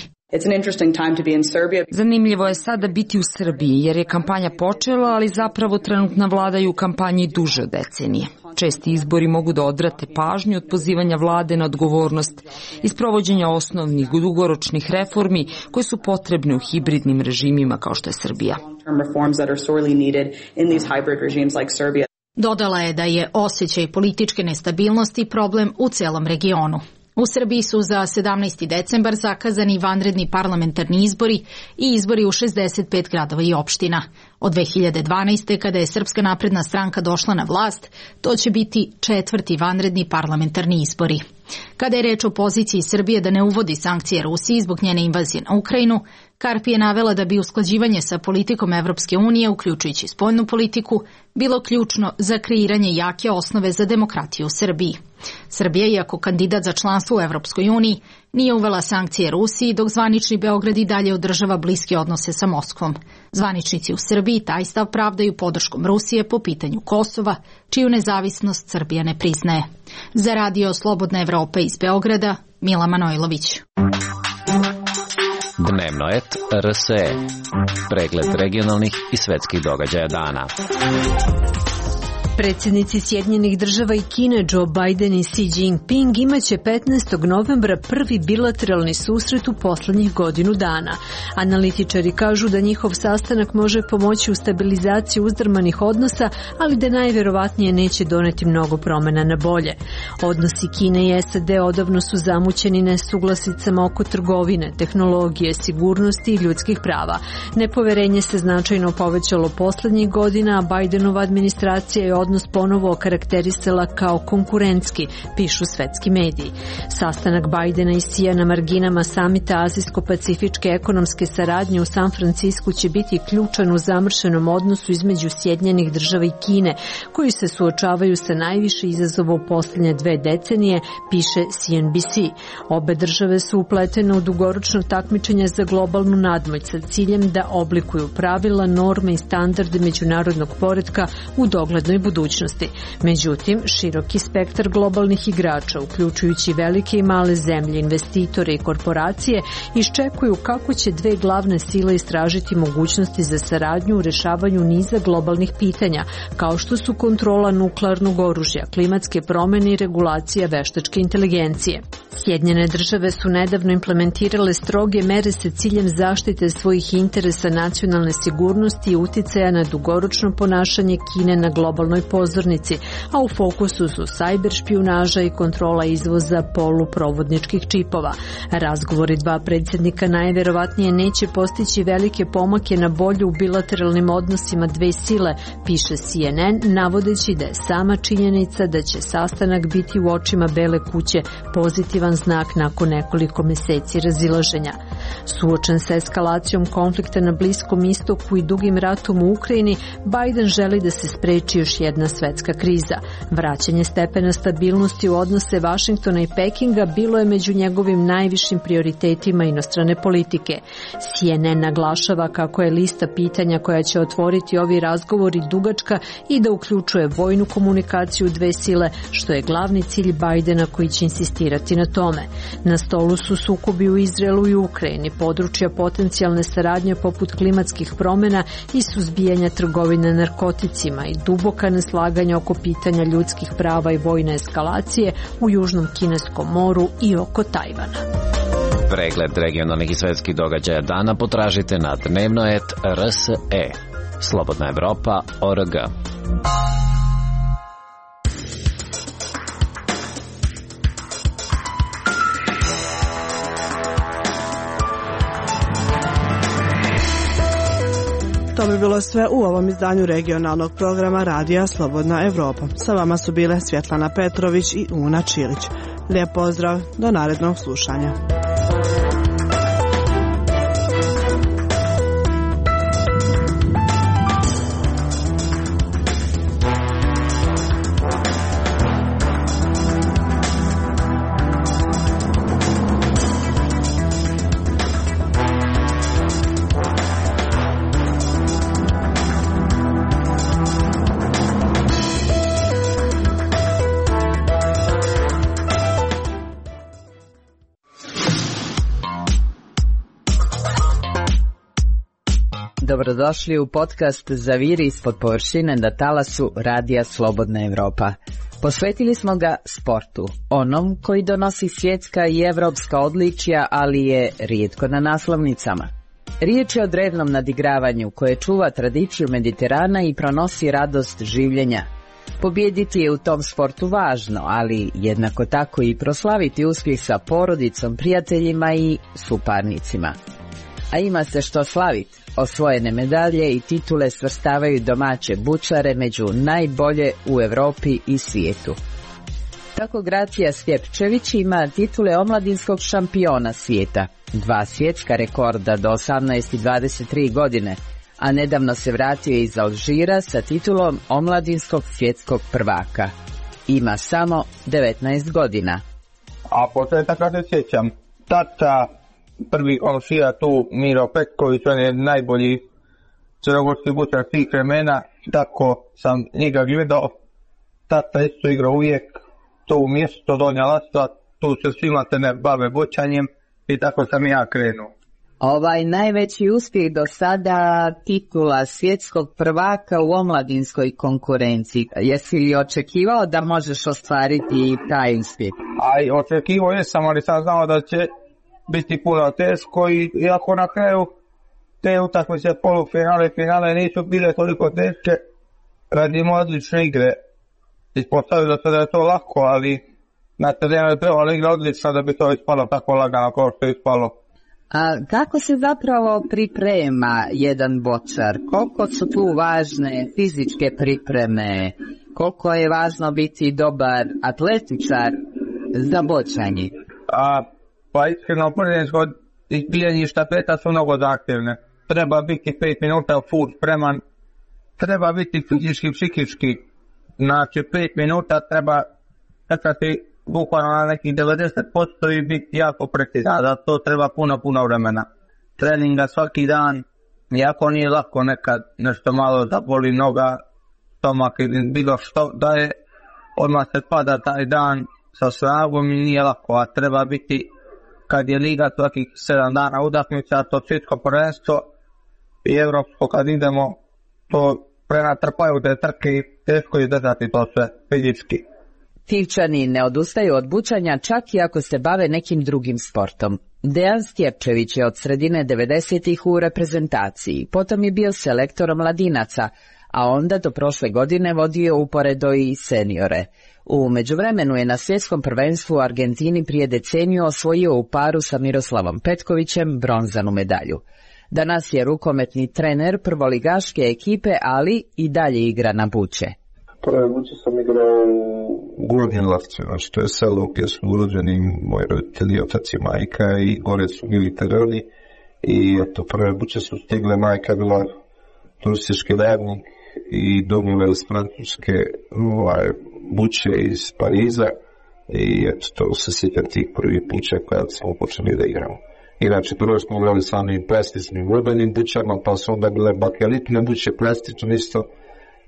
Zanimljivo je sada biti u Srbiji, jer je kampanja počela, ali zapravo trenutna vlada je u kampanji duže od decenije. Česti izbori mogu da odvrate pažnju od pozivanja vlade na odgovornost i sprovođenja osnovnih dugoročnih reformi koje su potrebne u hibridnim režimima kao što je Srbija. Dodala je da je osjećaj političke nestabilnosti problem u celom regionu. U Srbiji su za sedamnaesti decembar zakazani vanredni parlamentarni izbori i izbori u šezdeset pet gradova i opština. Od dve hiljade dvanaeste. kada je Srpska napredna stranka došla na vlast, to će biti četvrti vanredni parlamentarni izbori. Kada je reč o poziciji Srbije da ne uvodi sankcije Rusiji zbog njene invazije na Ukrajinu, Karpi je navela da bi usklađivanje sa politikom Evropske unije, uključujući spoljnu politiku, bilo ključno za kreiranje jake osnove za demokratiju u Srbiji. Srbija, iako kandidat za članstvo u Evropskoj uniji, nije uvela sankcije Rusiji, dok zvanični Beograd i dalje održava bliske odnose sa Moskvom. Zvaničnici u Srbiji taj stav pravdaju podrškom Rusije po pitanju Kosova, čiju nezavisnost Srbija ne priznaje. Za Radio Slobodna Evropa iz Beograda, Mila Manojlović. Dnevno et R S E. Pregled regionalnih i svetskih događaja dana. Predsjednici Sjedinjenih država i Kine Joe Biden i Xi Jinping imaće petnaestog novembra prvi bilateralni susret u poslednjih godinu dana. Analitičari kažu da njihov sastanak može pomoći u stabilizaciji uzdrmanih odnosa, ali da najverovatnije neće doneti mnogo promjena na bolje. Odnosi Kine i S A D odavno su zamućeni nesuglasicama oko trgovine, tehnologije, sigurnosti i ljudskih prava. Nepoverenje se značajno povećalo poslednjih godina, a Bidenova administracija je odnos ponovo okarakterisala kao konkurentski, pišu svetski mediji. Sastanak Bidena i Xija na marginama samita Azijsko-pacifičke ekonomske saradnje u San Francisku će biti ključan u zamršenom odnosu između Sjedinjenih država i Kine, koji se suočavaju sa najviše izazova u posljednje dve decenije, piše C N B C. Obe države su upletene u dugoročno takmičenje za globalnu nadmoć sa ciljem da oblikuju pravila, norme i standarde međunarodnog poretka u doglednoj budućnosti. Međutim, široki spektar globalnih igrača, uključujući velike i male zemlje, investitore i korporacije, iščekuju kako će dve glavne sile istražiti mogućnosti za saradnju u rešavanju niza globalnih pitanja, kao što su kontrola nuklearnog oružja, klimatske promjene i regulacija veštačke inteligencije. Sjedinjene države su nedavno implementirale stroge mere sa ciljem zaštite svojih interesa nacionalne sigurnosti i uticaja na dugoročno ponašanje Kine na globalnoj pozornici, a u fokusu su sajber špijunaža i kontrola izvoza poluprovodničkih čipova. Razgovori dva predsjednika najverovatnije neće postići velike pomake na bolje u bilateralnim odnosima dve sile, piše C N N, navodeći da je sama činjenica da će sastanak biti u očima Bele kuće pozitivan znak nakon nekoliko meseci razilaženja. Suočen sa eskalacijom konflikta na Bliskom istoku i dugim ratom u Ukrajini, Biden želi da se spreči još jedna svetska kriza. Vraćanje stepena stabilnosti u odnose Vašingtona i Pekinga bilo je među njegovim najvišim prioritetima inostrane politike. C N N naglašava kako je lista pitanja koja će otvoriti ovi razgovori dugačka i da uključuje vojnu komunikaciju dve sile, što je glavni cilj Bidena koji će insistirati na tome. Na stolu su sukobi u Izraelu i Ukrajini, područja potencijalne saradnje poput klimatskih promjena i suzbijanja trgovine narkoticima i duboka neslaganja oko pitanja ljudskih prava i vojne eskalacije u Južnom Kineskom moru i oko Tajvana. Pregled regionalnih i svetskih događaja dana potražite na dnevno et R S E. Slobodna Evropa O R G. To bi bilo sve u ovom izdanju regionalnog programa Radija Slobodna Evropa. Sa vama su bile Svjetlana Petrović i Una Čilić. Lijep pozdrav, do narednog slušanja. Dobrodošli u podcast Zaviri ispod površine na talasu Radija Slobodna Evropa. Posvetili smo ga sportu, onom koji donosi svjetska i evropska odličja, ali je rijetko na naslovnicama. Riječ je o drevnom nadigravanju koje čuva tradiciju Mediterana i pronosi radost življenja. Pobijediti je u tom sportu važno, ali jednako tako i proslaviti uspjeh sa porodicom, prijateljima i suparnicima. A ima se što slaviti. Osvojene medalje i titule svrstavaju domaće bučare među najbolje u Europi i svijetu. Tako Gracija Stjepčević ima titule omladinskog šampiona svijeta, dva svjetska rekorda do osamnaest i dvadeset tri godine, a nedavno se vratio iz Alžira sa titulom omladinskog svjetskog prvaka. Ima samo devetnaest godina. A početaka se sjećam, tata prvi Alžira tu Miro Petković, on je najbolji crnogorski bučar svih vremena, tako sam njega gledao. Tata isto igrao uvijek to mjesto Donja Lastva, tu se svima se ne bave bučanjem i tako sam ja krenuo. Ovaj najveći uspjeh do sada titula svjetskog prvaka u omladinskoj konkurenciji. Jesi li očekivao da možeš ostvariti taj uspjeh? Aj, očekivao jesam, ali sam znao da će biti puno teško i iako na kraju te utakmice polufinale i finale nisu bile toliko teške, radimo odlične igre. Ispostavilo se da je to lako, ali na terenu je trebalo igra odlično da bi to ispalo tako lagano kao što je ispalo. A kako se zapravo priprema jedan bočar? Koliko su tu važne fizičke pripreme? Koliko je važno biti dobar atletičar za bočanje? A Pa iskreno prvenstvo izbijanje štafeta su mnogo zahtjevne. Treba biti pet minuta full spreman, treba biti fizički, psihički. Znači pet minuta treba čekati bukvalno na nekih devedeset posto i biti jako precizan. Da to treba puno, puno vremena. Treninga svaki dan, jako nije lako nekad nešto malo zaboli noga, stomak ili bilo što da je, odmah se pada taj dan sa snagom i nije lako, a treba biti kad je liga svakih sedam dana utakmica, to svjetsko prvenstvo i evropsko kad idemo, to prenatrpaju te trke i teško je držati to sve fizički. Tivčani ne odustaju od bučanja čak i ako se bave nekim drugim sportom. Dejan Stjepčević je od sredine devedesetih u reprezentaciji, potom je bio selektor mladinaca, a onda do prošle godine vodio uporedo i seniore. U međuvremenu je na svjetskom prvenstvu u Argentini prije deceniju osvojio u paru sa Miroslavom Petkovićem bronzanu medalju. Danas je rukometni trener prvoligaške ekipe, ali i dalje igra na buče. Prve buče sam igrao u Gornjem Lavcu, znači to je selo gdje su urođeni moji roditelji, otac i majka, i gore su bili terori. I eto, prve buče su stigle, majka bila turistički levnik i domove iz Francuske, ovaj, buče iz Pariza, i eto, to se sjećam tih prvih buča kada smo počeli da igramo. Inače, prvo smo igrali s onim plastičnim urbanim bučama, pa su onda bile bakelitne buče, plastične isto,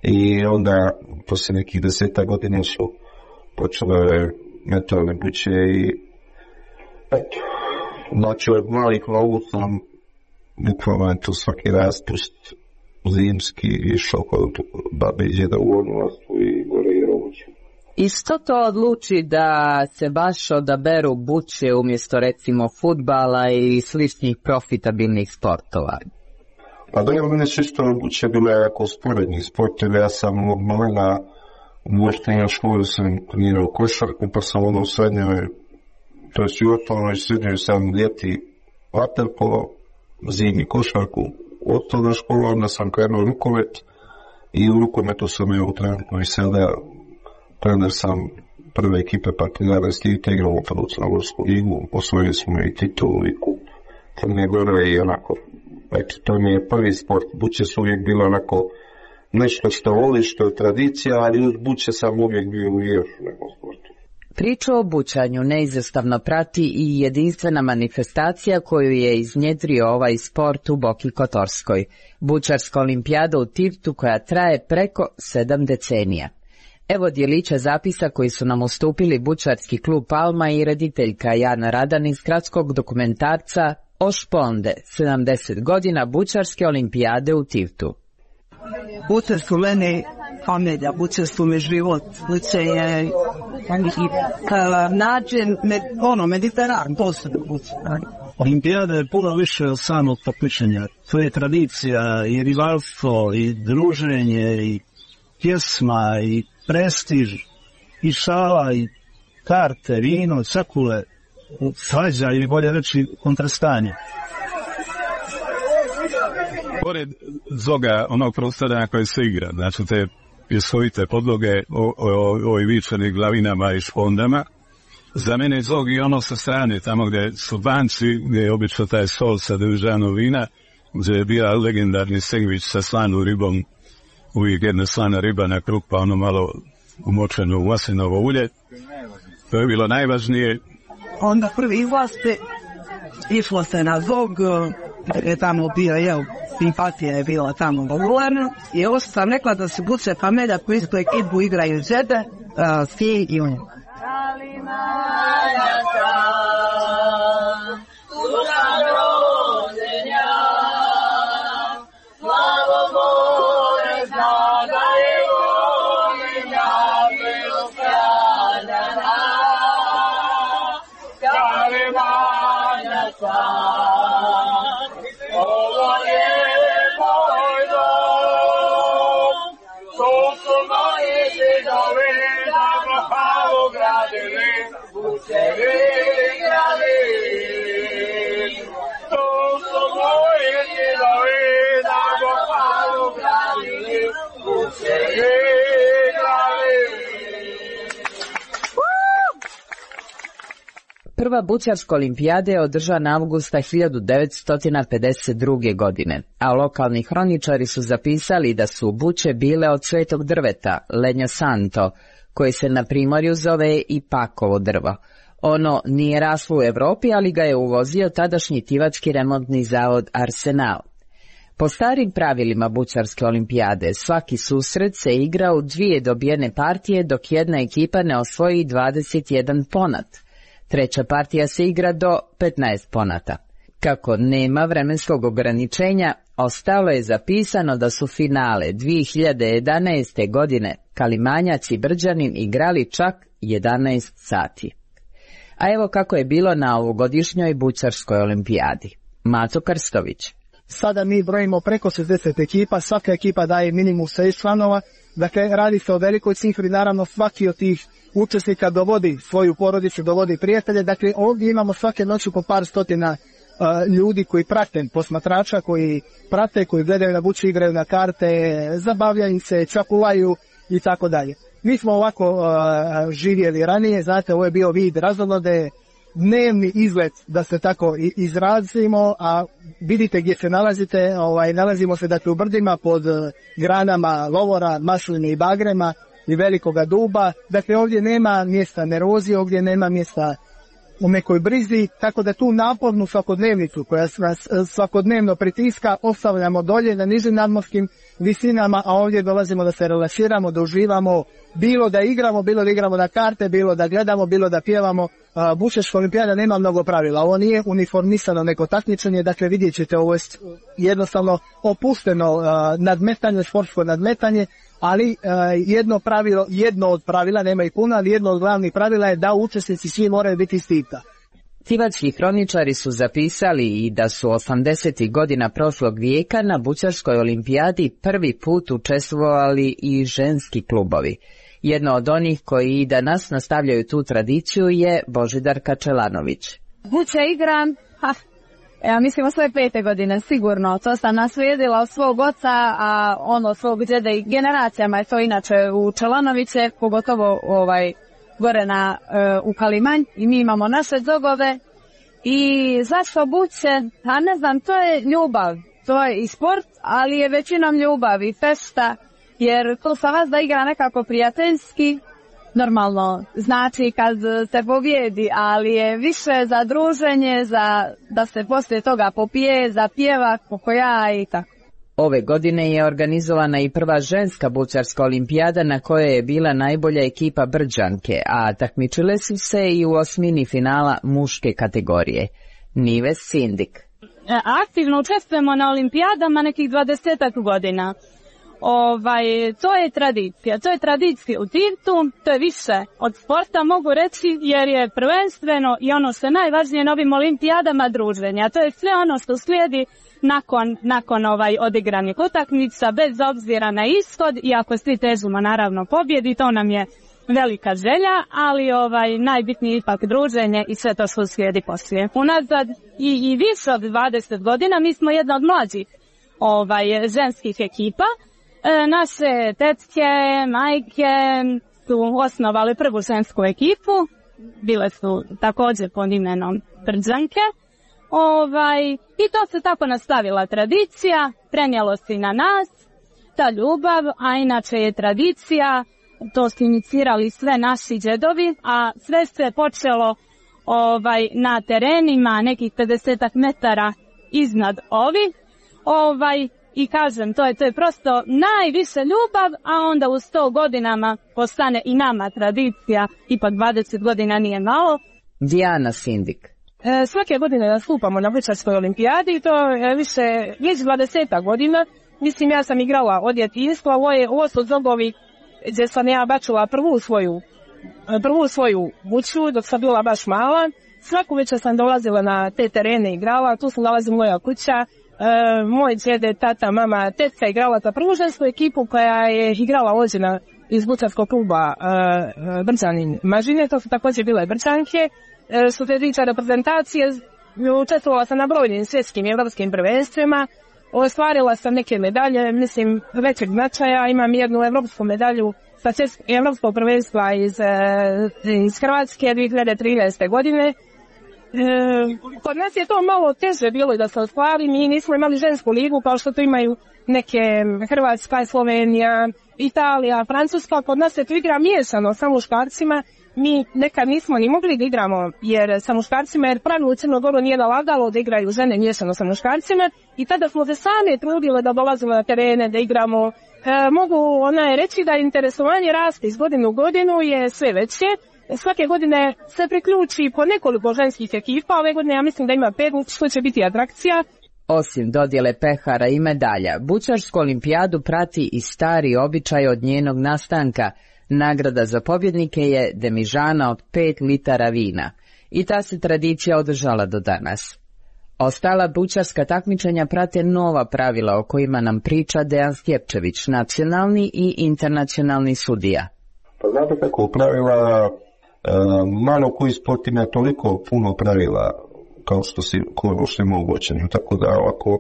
i onda poslije nekih deseta godina su počele metalne buče i eto, znači od malih nogu sam bukvalno tu svaki raspust zimski išao kod babe i djeda u odnostu i gore i robuću. I što to odluči da se baš odaberu buče umjesto recimo fudbala i sličnih profitabilnih sportova? Pa da je mene čisto buče bile jako sporednih sportova. Ja sam od malena u osnovnoj školi sam trenirao košarku, pa sam ono u srednjoj, to jest u osnovnoj srednjoj sam ljeti vaterpolo, zimi košarku. U osnovnoj školi onda sam krenuo rukomet i u rukometu sam evo trenutno i sada trener sam prve ekipe Partizana Stita igramo prvu Crnogorsku ligu, osvojili smo i titulu i kup Crne Gore i onako, eto, to mi je prvi sport. Buće su uvijek bilo onako nešto što voli, što je tradicija, ali uz buće sam uvijek bio u još nekom sportu. Priču o bućanju neizostavno prati i jedinstvena manifestacija koju je iznjedrio ovaj sport u Boki Kotorskoj, bućarska olimpijada u Tivtu koja traje preko sedam decenija. Evo djelića zapisa koji su nam ustupili bućarski klub Palma i rediteljka Jana Radan iz kratskog dokumentarca O Šponde, sedamdeset godina bućarske olimpijade u Tivtu. Buće su meni familija, buće su mi život, buće je način, ono, mediteran, posebno buće. Olimpijada je puno više od samog takmičenja. To je tradicija i rivalstvo i druženje i pjesma i prestiž i šala i karte, vino, cakule, svađa ili bolje reći kontrastanje. Pored zoga onog prostora na koje se igra, znači te pjesovite podloge o, o, o vičanih glavinama i špondama, za mene je zog i ono sa strane, tamo gdje su banci, gdje je obično taj sol sa dežanog vina, gdje je bio legendarni sendvič sa slanom ribom, uvijek jedna slana riba na krug, pa ono malo umočeno u maslinovo ulje. To je bilo najvažnije. Onda prvi izlaste, išlo se na zog, je tamo bio, jel, simpatija je bila tamo popularna, i ovo sam rekla da se buće familija koji su ekipu igraju žede, uh, svi i oni. Prva bućarska olimpijada je održana avgusta hiljadu devetsto pedeset druge. godine, a lokalni hroničari su zapisali da su buće bile od svetog drveta, Legno Santo, koje se na primorju zove i pakovo drvo. Ono nije raslo u Evropi, ali ga je uvozio tadašnji tivački remontni zavod Arsenal. Po starim pravilima bućarske olimpijade, svaki susret se igra u dvije dobijene partije dok jedna ekipa ne osvoji dvadeset jedan ponat. Treća partija se igra do petnaest ponata. Kako nema vremenskog ograničenja, ostalo je zapisano da su finale dvije hiljade jedanaeste. godine Kalimanjac i Brđanin igrali čak jedanaest sati. A evo kako je bilo na ovogodišnjoj bućarskoj olimpijadi. Mato Krstović. Sada mi brojimo preko šezdeset ekipa, svaka ekipa daje minimum šest članova, dakle radi se o velikoj cifri, naravno svaki od tih učesnika dovodi svoju porodicu, dovodi prijatelje, dakle ovdje imamo svake noći po par stotina uh, ljudi koji prate, posmatrača koji prate, koji gledaju na buće, igraju na karte, zabavljaju se, čakulaju i tako dalje. Mi smo ovako uh, živjeli ranije, znate, ovo je bio vid razonode, dnevni izlet, da se tako izrazimo, a vidite gdje se nalazite, ovaj, nalazimo se dakle u brdima pod granama lovora, masline i bagrema i velikoga duba, dakle ovdje nema mjesta nervozi, ovdje nema mjesta u nekoj brizi, tako da tu napornu svakodnevnicu koja nas svakodnevno pritiska ostavljamo dolje na nižim nadmorskim visinama, a ovdje dolazimo da se relaksiramo, da uživamo, bilo da igramo, bilo da igramo na karte, bilo da gledamo, bilo da pjevamo. Bućarska olimpijada nema mnogo pravila, ovo nije uniformisano neko takmičenje, dakle vidjet ćete, ovo je jednostavno opušteno nadmetanje, sportsko nadmetanje, ali jedno pravilo, jedno od pravila, nema i puno, ali jedno od glavnih pravila je da učesnici svi moraju biti iz Tivta. Tivački hroničari su zapisali i da su osamdesetih godina prošlog vijeka na bućarskoj olimpijadi prvi put učestvovali i ženski klubovi. Jedno od onih koji i danas nastavljaju tu tradiciju je Božidar Kačelanović. Buće igram, ha, ja mislim o svoje pete godine, sigurno. To sam naslijedila od svog oca, a ono od svog djeda i generacijama je to inače u Čelanoviće, pogotovo ovaj gore na, uh, u Kalimanj i mi imamo naše zogove. I zašto buće? A ne znam, to je ljubav. To je i sport, ali je većinom ljubav i festa, jer to sa vas da igra nekako prijateljski. Normalno, znači kad se pobjedi, ali je više za druženje, za da se poslije toga popije, za pjeva, pokoja i tako. Ove godine je organizovana i prva ženska bućarska olimpijada na kojoj je bila najbolja ekipa Brđanke, a takmičile su se i u osmini finala muške kategorije. Nives Sindik. Aktivno učestvujemo na olimpijadama nekih dvadesetak godina. Ovaj, to je tradicija, to je tradicija u Tirtu, to je više od sporta mogu reći jer je prvenstveno i ono što je najvažnije na ovim olimpijadama druženja, to je sve ono što slijedi nakon, nakon ovaj odigranih utakmica bez obzira na ishod, iako svi težimo naravno pobjedi, to nam je velika želja, ali ovaj najbitnije ipak druženje i sve to što slijedi poslije. Unazad i, i više od dvadeset godina mi smo jedna od mlađih ovaj, ženskih ekipa. E, naše tetke, majke su osnovali prvu žensku ekipu, bile su također pod imenom Brđanke. Ovaj, I to se tako nastavila tradicija, prenijelo se i na nas, ta ljubav, a inače je tradicija, to su inicirali sve naši džedovi, a sve se počelo ovaj, na terenima nekih pedesetak metara iznad ovih. Ovaj, I kažem, to je, to je prosto najviše ljubav, a onda u sto godinama postane i nama tradicija, ipak dvadeset godina nije malo. Dijana Sindik. E, svake godine nastupamo na bućarskoj olimpijadi i to je više, već dvadesetak godina. Mislim, ja sam igrala od djetinjstva, ovo, je, ovo su zogovi gdje sam ja bačula prvu svoju, prvu svoju buću dok sam bila baš mala. Svaku večer sam dolazila na te terene i igrala, tu se nalazi moja kuća. E, moj djede, tata, mama, tetka igrala za prvu žensku ekipu koja je igrala ođena iz bućarskog kluba e, Brđanin Mažine, to su također bile Brđanke. E, što se tiče reprezentacije, učestvovala sam na brojnim svjetskim i evropskim prvenstvima, ostvarila sam neke medalje, mislim, većeg značaja, imam jednu evropsku medalju sa evropskog prvenstva iz, iz Hrvatske dvije hiljade trinaeste. godine. E, kod nas je to malo teže bilo da se ostvari, mi nismo imali žensku ligu kao što to imaju neke Hrvatska, Slovenija, Italija, Francuska, kod nas se to igra miješano sa muškarcima, mi nekad nismo ni mogli da igramo jer sa muškarcima, jer pravilo u Crnogoru nije nalagalo da igraju žene miješano sa muškarcima i tada smo se sami trudili da dolazimo na terene, da igramo. E, mogu ona reći da interesovanje raste iz godine u godinu je sve veće. Svake godine se priključi po nekoliko ženskih ekipa, ove godine ja mislim da ima pet, što će biti atrakcija. Osim dodjele pehara i medalja, bućarsku olimpijadu prati i stari običaj od njenog nastanka. Nagrada za pobjednike je demižana od pet litara vina i ta se tradicija održala do danas. Ostala bućarska takmičenja prate nova pravila o kojima nam priča Dejan Stjepčević, nacionalni i internacionalni sudija. Pa znate kako pravila, e, malo koji sport ima toliko puno pravila kao što si što moguće, tako da ovako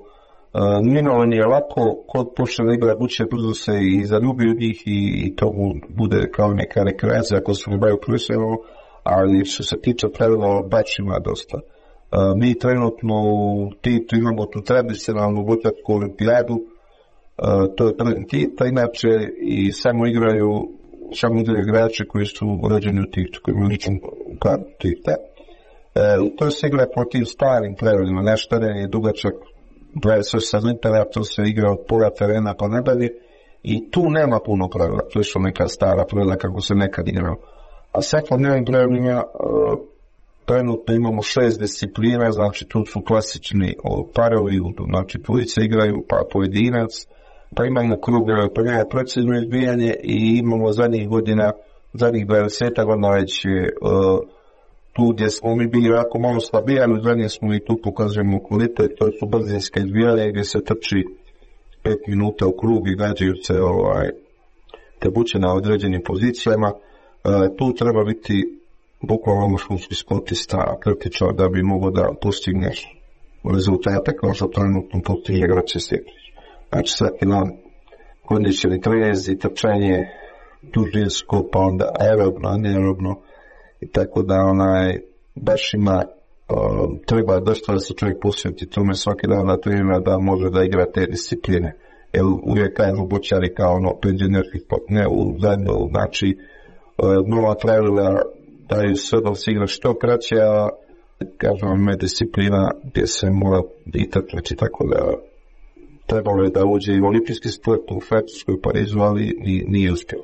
minovanje je lako, kod počne igra buće brzo se i zaljubi u njih i, i to bude kao neka rekreacija ako se ne baju profesionalno, ali što se tiče pravila baš ima dosta. Uh, mi trenutno u Titu imamo tu tradicionalnu bućarsku olimpijadu, uh, to je prvi Tita, inače i samo igraju samo igraju igrači koji su rođeni u Titu, koji imaju ličnu kartu Tita. Uh, to se igra po tim starim pravilima, naš teren je dugačak dvadeset osam metara, to se igra od pola terena pa nadalje i tu nema puno pravila, to su neka stara pravila kako se nekad igrao. A svakodnevnim pravilima uh, trenutno imamo šest disciplina, znači tu su klasični o, parovi, znači dvojice igraju, pa pojedinac, pa imamo krugove, pa imamo precizno izbijanje i imamo zadnjih godina, zadnjih dvadeset godina već je uh, tu gdje smo mi bili jako malo slabiji, ali zadnje smo i tu pokazujemo kvalitet, to su brzinske izbijanje gdje se trči pet minuta u krug i gađaju se ovaj, te buće na određenim pozicijama. Uh, tu treba biti bukvalno školski sportista, kritičar da bi mogao da postigneš rezultate kao što trenutno postigne Grače Stjepčić. Znači svaki dan kondicioni trezi, trčanje, dužinsko, pa onda aerobno, anaerobno, i tako da onaj baš ima uh, treba dosta da se čovjek posveti tome svaki dan na trenira da može da igra te discipline. Jer uvijek kažu bočari kao ono penzionerski sport, ne u zadnju, znači uh, nova pravila daju sve da se igra što kraće, a kažem vam je disciplina gdje se mora i trčati, tako da trebalo je da uđe i olimpijski sport u Francusku i Parizu, ali nije uspjelo.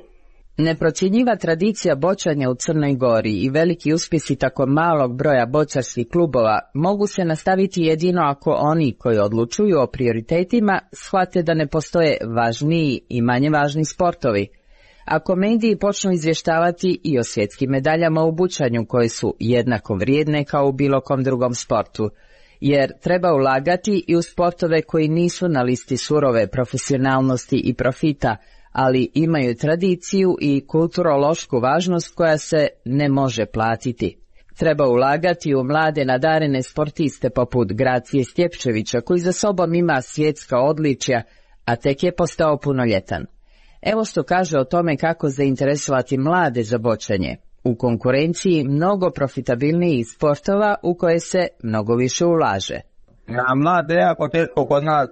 Neprocjenjiva tradicija bočanja u Crnoj Gori i veliki uspjesi tako malog broja bočarskih klubova mogu se nastaviti jedino ako oni koji odlučuju o prioritetima shvate da ne postoje važniji i manje važni sportovi. Ako mediji počnu izvještavati i o svjetskim medaljama u bučanju koje su jednako vrijedne kao u bilo kom drugom sportu, jer treba ulagati i u sportove koji nisu na listi surove profesionalnosti i profita, ali imaju tradiciju i kulturološku važnost koja se ne može platiti. Treba ulagati u mlade nadarene sportiste poput Gracije Stjepčevića koji za sobom ima svjetska odličja, a tek je postao punoljetan. Evo što kaže o tome kako zainteresovati mlade za bočanje. U konkurenciji mnogo profitabilnijih sportova u koje se mnogo više ulaže. Na mlade je jako teško kod nas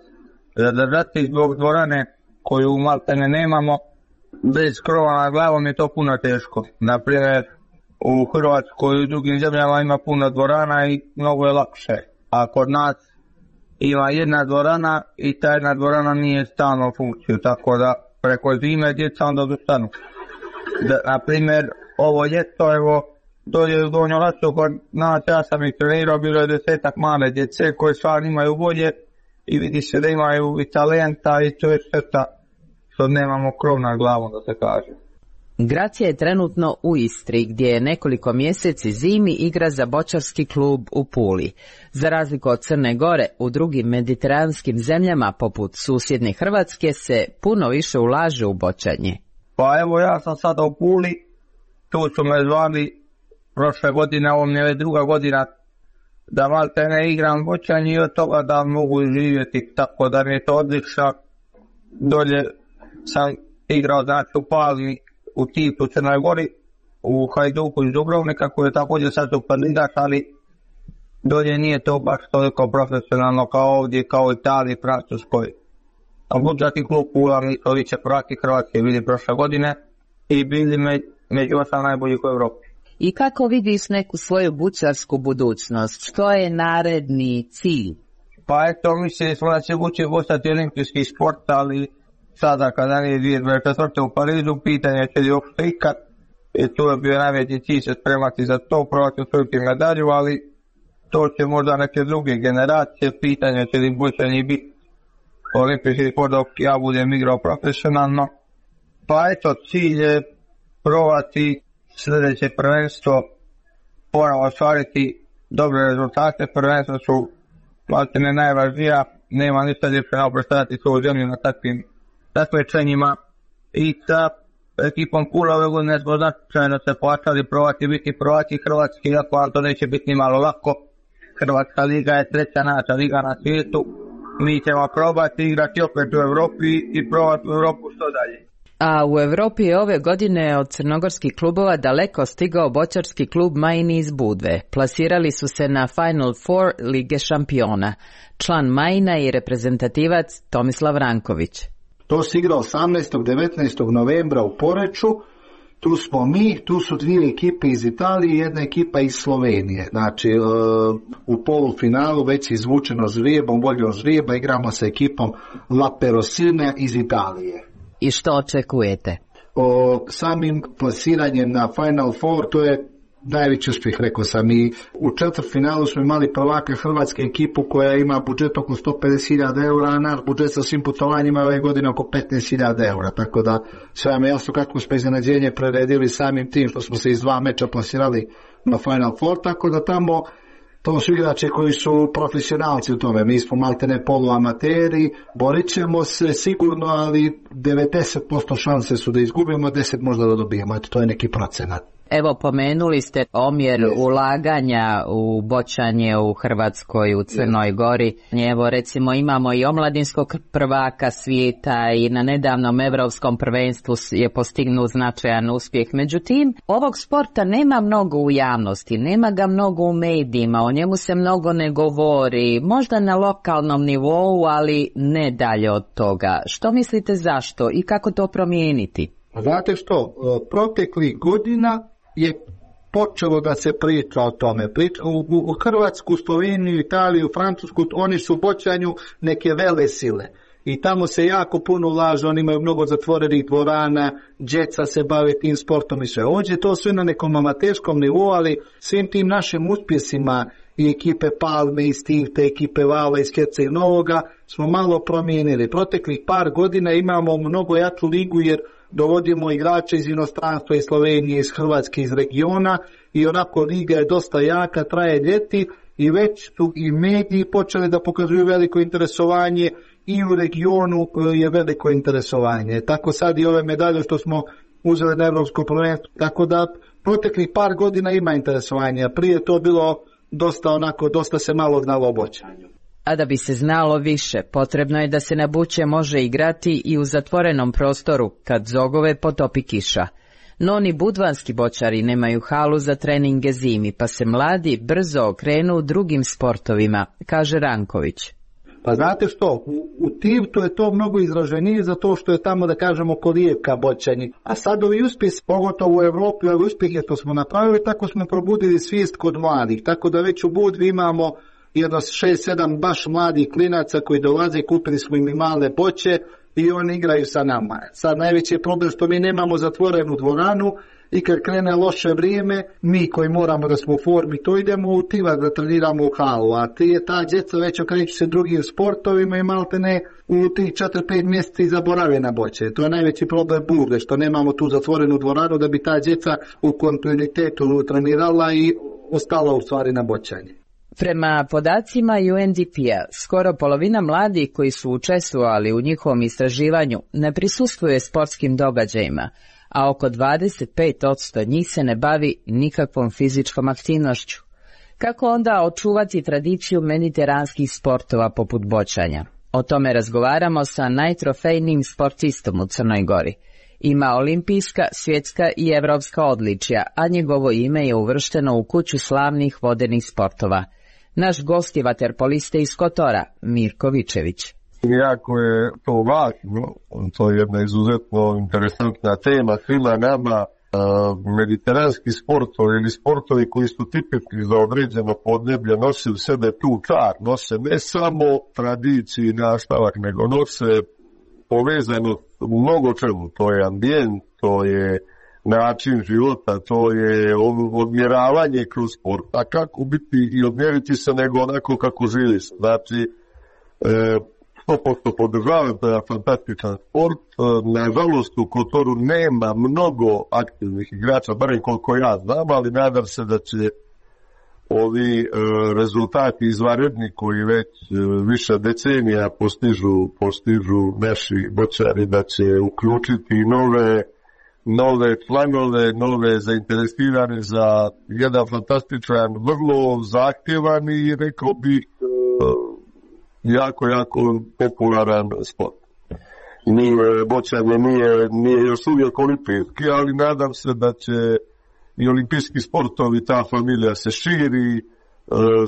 zadržati zbog dvorane koju maltene nemamo. Bez krova na glavom je to puno teško. Naprimjer, u Hrvatskoj i u drugim zemljama ima puno dvorana i mnogo je lakše. A kod nas ima jedna dvorana i ta jedna dvorana nije stalno u funkciju, tako da preko zime djeca onda dostanu. Naprimjer, ovo ljeto, evo, dolje u Donjoj Lasu kod nas, ja sam ih trenirao, bilo je desetak male djece koje stvarno imaju volje i vidi se da imaju i talenta i to je šteta što nemamo krov nad glavom, da se kaže. Gracija je trenutno u Istri, gdje je nekoliko mjeseci zimi igra za bočarski klub u Puli. Za razliku od Crne Gore, u drugim mediteranskim zemljama, poput susjedne Hrvatske, se puno više ulaže u bočanje. Pa evo, ja sam sada u Puli, tu su me zvali prošle godine, ovo mi je druga godina, da malte ne igram bočanje i od toga da mogu živjeti, tako da mi je to odlično. Dolje sam igrao, znači, u Pali, u Tipu, u Crnoj Gori, u Hajduku iz Dubrovnika, koji je također sad u kandidat, ali dolje nije to baš toliko profesionalno kao ovdje, kao u Italiji, Francuskoj. A budžetni klub Pula, mi to viće prvaki Hrvatske bili prošle godine i bili me, među osam najboljih u Evropi. I kako vidiš neku svoju bučarsku budućnost? Što je naredni cilj? Pa eto, mislili smo da će buče postati olimpijski sport, ali sada kada nije dvije tisuće dvadeset četvrte u Parizu, pitanje će li uopšte ikad, i tu je bio najveći cilj se spremati za to, probati osvojiti medalju, ali to će možda neke druge generacije, pitanje će li bučanje biti olimpijski sport dok ja budem igrao profesionalno. Pa eto, cilj je probati sljedeće prvenstvo, ponovno ostvariti dobre rezultate, prvenstvo su maltene najvažnija, nema ništa ljepše nego predstavljati svoju zemlju na takvim takmičenjima i sa ekipom Pula ove godine smo značajno se plaćali probati biti prvaki Hrvatski, iako vam to neće biti ni malo lako. Hrvatska liga je treća najjača liga na svijetu, mi ćemo probati igrati opet u Europi i probati u Europu što dalje. A u Europi je ove godine od crnogorskih klubova daleko stigao bočarski klub Majini iz Budve. Plasirali su se na Final Four Lige šampiona. Član Majina i reprezentativac Tomislav Ranković. To se igra osamnaestog i devetnaestog novembra u Poreču. Tu smo mi, tu su dvije ekipe iz Italije i jedna ekipa iz Slovenije. Znači, u polufinalu već je izvučeno žrijebom, voljom žrijeba, igramo sa ekipom La Perosina iz Italije. I što očekujete? O samim plasiranjem na Final Four, to je najveći uspjeh, rekao sam. I u četvrtfinalu smo imali prvaka Hrvatske ekipu koja ima budžet oko sto pedeset hiljada eura, a naš budžet sa svim putovanjima ove godine oko petnaest hiljada eura. Tako da sve vam je jasno kako smo iznenađenje preredili samim tim što smo se iz dva meča plasirali na Final Four, tako da tamo to su igrače koji su profesionalci u tome. Mi smo maltene poluamateri, borit ćemo se sigurno, ali devedeset posto šanse su da izgubimo, deset možda da dobijemo. Eto, to je neki procenat. Evo, pomenuli ste omjer yes. ulaganja u boćanje u Hrvatskoj, u Crnoj yes. Gori. Evo, recimo, imamo i omladinskog prvaka svijeta i na nedavnom evropskom prvenstvu je postignut značajan uspjeh. Međutim, ovog sporta nema mnogo u javnosti, nema ga mnogo u medijima, o njemu se mnogo ne govori, možda na lokalnom nivou, ali ne dalje od toga. Što mislite zašto i kako to promijeniti? Znate što, proteklih godina je počelo da se priča o tome. Priča, u, u Hrvatsku, Sloveniju, Italiju, Francusku, oni su u boćanju neke vele sile. I tamo se jako puno ulaže, oni imaju mnogo zatvorenih dvorana, djeca se bave tim sportom i sve. Ovdje je to sve na nekom amaterskom nivou, ali svim tim našim uspjesima i ekipe Palme, i Stivte, ekipe Vala, iz Herceg Novoga smo malo promijenili. Proteklih par godina imamo mnogo jaču ligu jer dovodimo igrače iz inostranstva, iz Slovenije, iz Hrvatske, iz regiona i onako liga je dosta jaka, traje ljeti i već su i mediji počeli da pokazuju veliko interesovanje i u regionu je veliko interesovanje. Tako sad i ove medalje što smo uzeli na Evropsko prvenstvo, tako da proteklih par godina ima interesovanja. Prije to bilo dosta onako, dosta se malo znalo o boćanju. A da bi se znalo više, potrebno je da se na buće može igrati i u zatvorenom prostoru, kad zogove potopi kiša. No ni budvanski boćari nemaju halu za treninge zimi, pa se mladi brzo okrenu drugim sportovima, kaže Ranković. Pa znate što, u, u Tivtu je to mnogo izraženije zato što je tamo, da kažemo, kolijevka boćanje. A sad ovi uspjeh, pogotovo u Evropi, ovi uspjehe što smo napravili, tako smo probudili svijest kod mladih. Tako da već u Budvi imamo jedno šest sedam baš mladih klinaca koji dolaze, kupili smo im i male boće i oni igraju sa nama. Sad najveći je problem što mi nemamo zatvorenu dvoranu i kad krene loše vrijeme, mi koji moramo da smo u formi, to idemo u Tivar da treniramo u halu, a ti je ta djeca već okreću se drugim sportovima i malte ne u tih četiri pet mjeseci zaborave na boće. To je najveći problem Budve, što nemamo tu zatvorenu dvoranu da bi ta djeca u kontinuitetu trenirala i ostala u stvari na boćanje. Prema podacima U N D P-a, skoro polovina mladih koji su učestvovali u njihovom istraživanju ne prisustvuje sportskim događajima, a oko dvadeset pet posto njih se ne bavi nikakvom fizičkom aktivnošću. Kako onda očuvati tradiciju mediteranskih sportova poput boćanja? O tome razgovaramo sa najtrofejnijim sportistom u Crnoj Gori. Ima olimpijska, svjetska i evropska odličja, a njegovo ime je uvršteno u kuću slavnih vodenih sportova. Naš gost je vaterpolista iz Kotora, Mirko Vičević. Jako je to važno, to je jedna izuzetno interesantna tema svima nama. Mediteranski sportovi ili sportovi koji su tipični za određeno podneblje nose u sebe tu čar, nose ne samo tradiciju i nastavak, nego nose povezano u mnogo čemu. To je ambijent, to je način života, to je odmjeravanje kroz sport. A kako biti i odmjeriti se nego onako kako živiš. Znači, sto posto podržavam, to je fantastičan sport. Nažalost, u Kotoru nema mnogo aktivnih igrača, barem koliko ja znam, ali nadam se da će ovi rezultati izvanredni koji već više decenija postižu, postižu naši boćari, da će uključiti nove nove članove, nove zainteresirane za jedan fantastičan, vrlo zahtjevan i rekao bi jako, jako popularan sport. Nije, boćanje nije, nije još uvijek olimpijski, ali nadam se da će i olimpijski sportovi, ta familija se širi,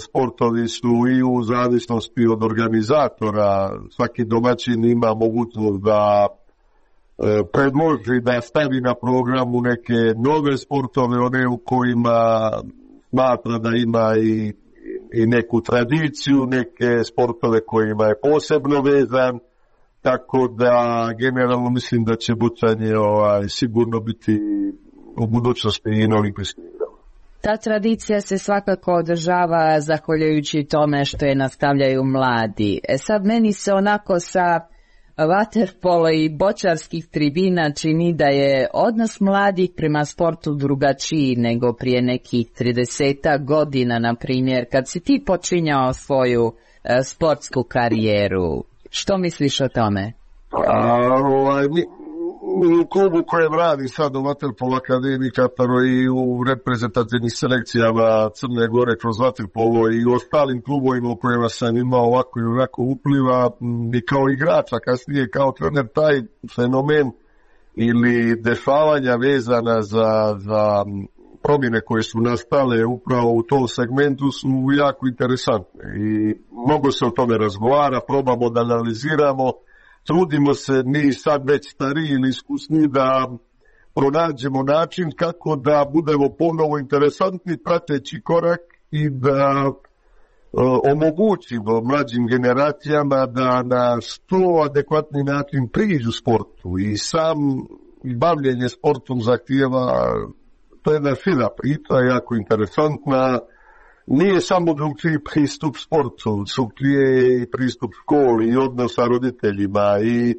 sportovi su i u zavisnosti od organizatora, svaki domaćin ima mogućnost da predloži da stavi na programu neke nove sportove, one u kojima smatra da ima i, i neku tradiciju, neke sportove kojima je posebno vezan, tako da generalno mislim da će boćanje ovaj, sigurno biti u budućnosti i na olimpijskim igrama. Ta tradicija se svakako održava zahvaljujući tome što je nastavljaju mladi. E sad meni se onako sa vaterpolo i boćarskih tribina čini da je odnos mladih prema sportu drugačiji nego prije nekih tridesetak godina, na primjer, kad si ti počinjao svoju uh, sportsku karijeru. Što misliš o tome? A, ovaj, mi, u klubu kojem radi sad u Vaterpolo Akademiji Kataro i u reprezentativnim selekcijama Crne Gore kroz Vaterpolo i u ostalim klubovima u kojima sam imao ovako i onako upliva i kao igrača, kasnije kao trener, taj fenomen ili dešavanja vezana za, za promjene koje su nastale upravo u tom segmentu su jako interesantne i mnogo se o tome razgovara, probamo da analiziramo. Trudimo se mi sad već stariji ili iskusni da pronađemo način kako da budemo ponovo interesantni prateći korak i da e, omogućimo mlađim generacijama da na što adekvatni način priđu sportu i sam bavljenje sportom zahtijeva, to je jedna fina priča, jako interesantna. Nije samo drugčiji pristup sportu, drugčiji pristup školi i odnos sa roditeljima i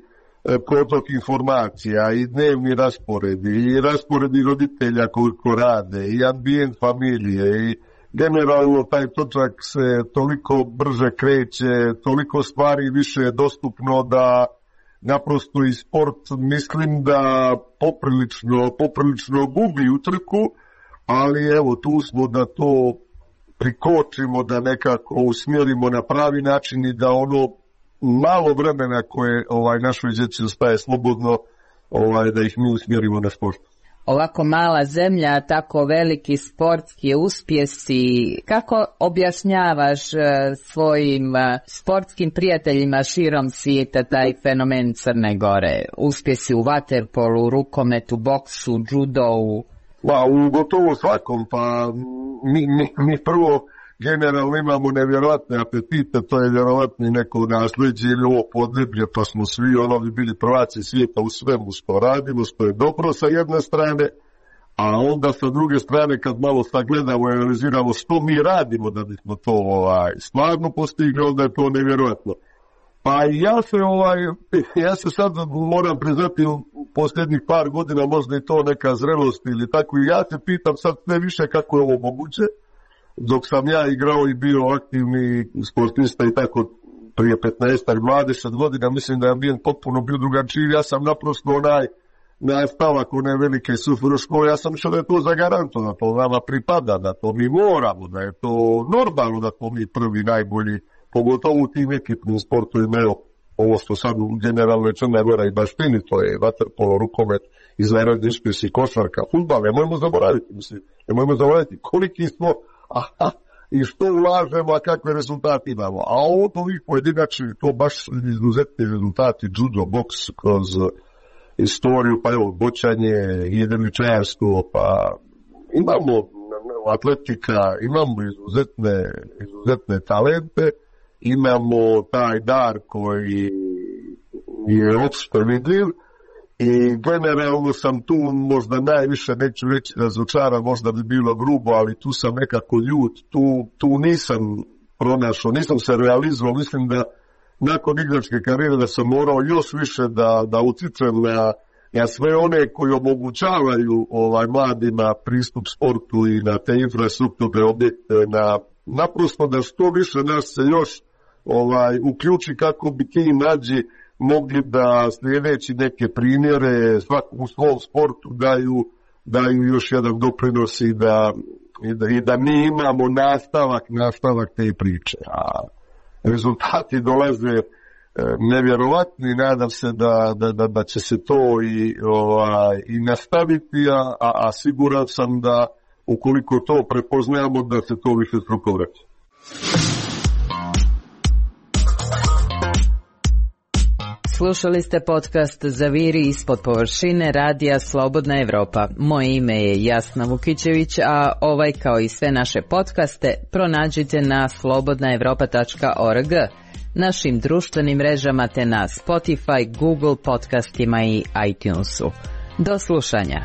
protok informacija i dnevni rasporedi i rasporedi roditelja koliko rade i ambijent familije i generalno taj točak se toliko brže kreće, toliko stvari više je dostupno da naprosto i sport mislim da poprilično, poprilično gubi utrku, ali evo tu smo da to prikočimo, da nekako usmjerimo na pravi način i da ono malo vremena koje ovaj našoj djeci ostaje slobodno, ovaj da ih mi usmjerimo na sport. Ovako mala zemlja, tako veliki sportski uspjesi, kako objašnjavaš svojim sportskim prijateljima širom svijeta taj fenomen Crne Gore? Uspjesi u vaterpolu, rukometu, boksu, judovu? Pa, u gotovo svakom, pa mi, mi, mi prvo generalno imamo nevjerojatne apetite, to je vjerovatno neko nasljeđe ili ovo podneblje, pa smo svi ono bi bili prvaci svijeta u svemu što radimo, što je dobro sa jedne strane, a onda sa druge strane kad malo sagledamo i analiziramo što mi radimo da bismo to ovaj, stvarno postigli, onda je to nevjerojatno. Pa ja se ovaj, ja se sad moram priznati u posljednjih par godina, možda i to neka zrelost ili tako, i ja se pitam sad sve više kako je ovo moguće, dok sam ja igrao i bio aktivni sportista i tako prije petnaest dvadeset godina, mislim da je ambijent potpuno bio drugačiji, ja sam naprosto onaj nastavak one velike sufero škole, ja sam mišao da je to zagarantovano, da to nama pripada, da to mi moramo, da je to normalno da smo mi prvi najbolji, pogotovo u tim ekipnim sportovima, evo, ovo što sad generalno je Crna Gora i baštini, to je vaterpolo, rukomet, izvanredni uspjesi, košarka, fudbal, nemojmo zaboraviti, mislim, nemojmo zaboraviti koliki smo, aha, i što ulažemo, a kakve rezultate imamo. A ovo ovih pojedinačni, to baš izuzetni rezultati, judo, boks, kroz istoriju, pa evo, bočanje, jedriličarstvo, pa imamo atletika, imamo izuzetne, izuzetne talente, imamo taj dar koji je opšte vidljiv i generalno sam tu možda najviše, neću reći razočaran, možda bi bilo grubo, ali tu sam nekako ljut, tu, tu nisam pronašao, nisam se realizovao, mislim da nakon igračke karijere da sam morao još više da, da utičem na, na sve one koji omogućavaju ovaj, mladima pristup sportu i na te infrastrukturne objekte, na, naprosto da što više nas se još ovaj, uključi kako bi ti mlađi mogli da sljedeći neke primjere svakom u svom sportu daju, daju još jedan doprinos i da, i da, i da mi imamo nastavak, nastavak te priče. A rezultati dolaze nevjerovatni, nadam se da, da, da, da će se to i, ovaj, i nastaviti, a, a, a siguran sam da ukoliko to prepoznajemo da se to više struko vraća. Slušali ste podcast Zaviri ispod površine radija Slobodna Evropa. Moje ime je Jasna Vukićević, a ovaj kao i sve naše podcaste pronađite na slobodna evropa tačka org, našim društvenim mrežama te na Spotify, Google podcastima i iTunesu. Do slušanja.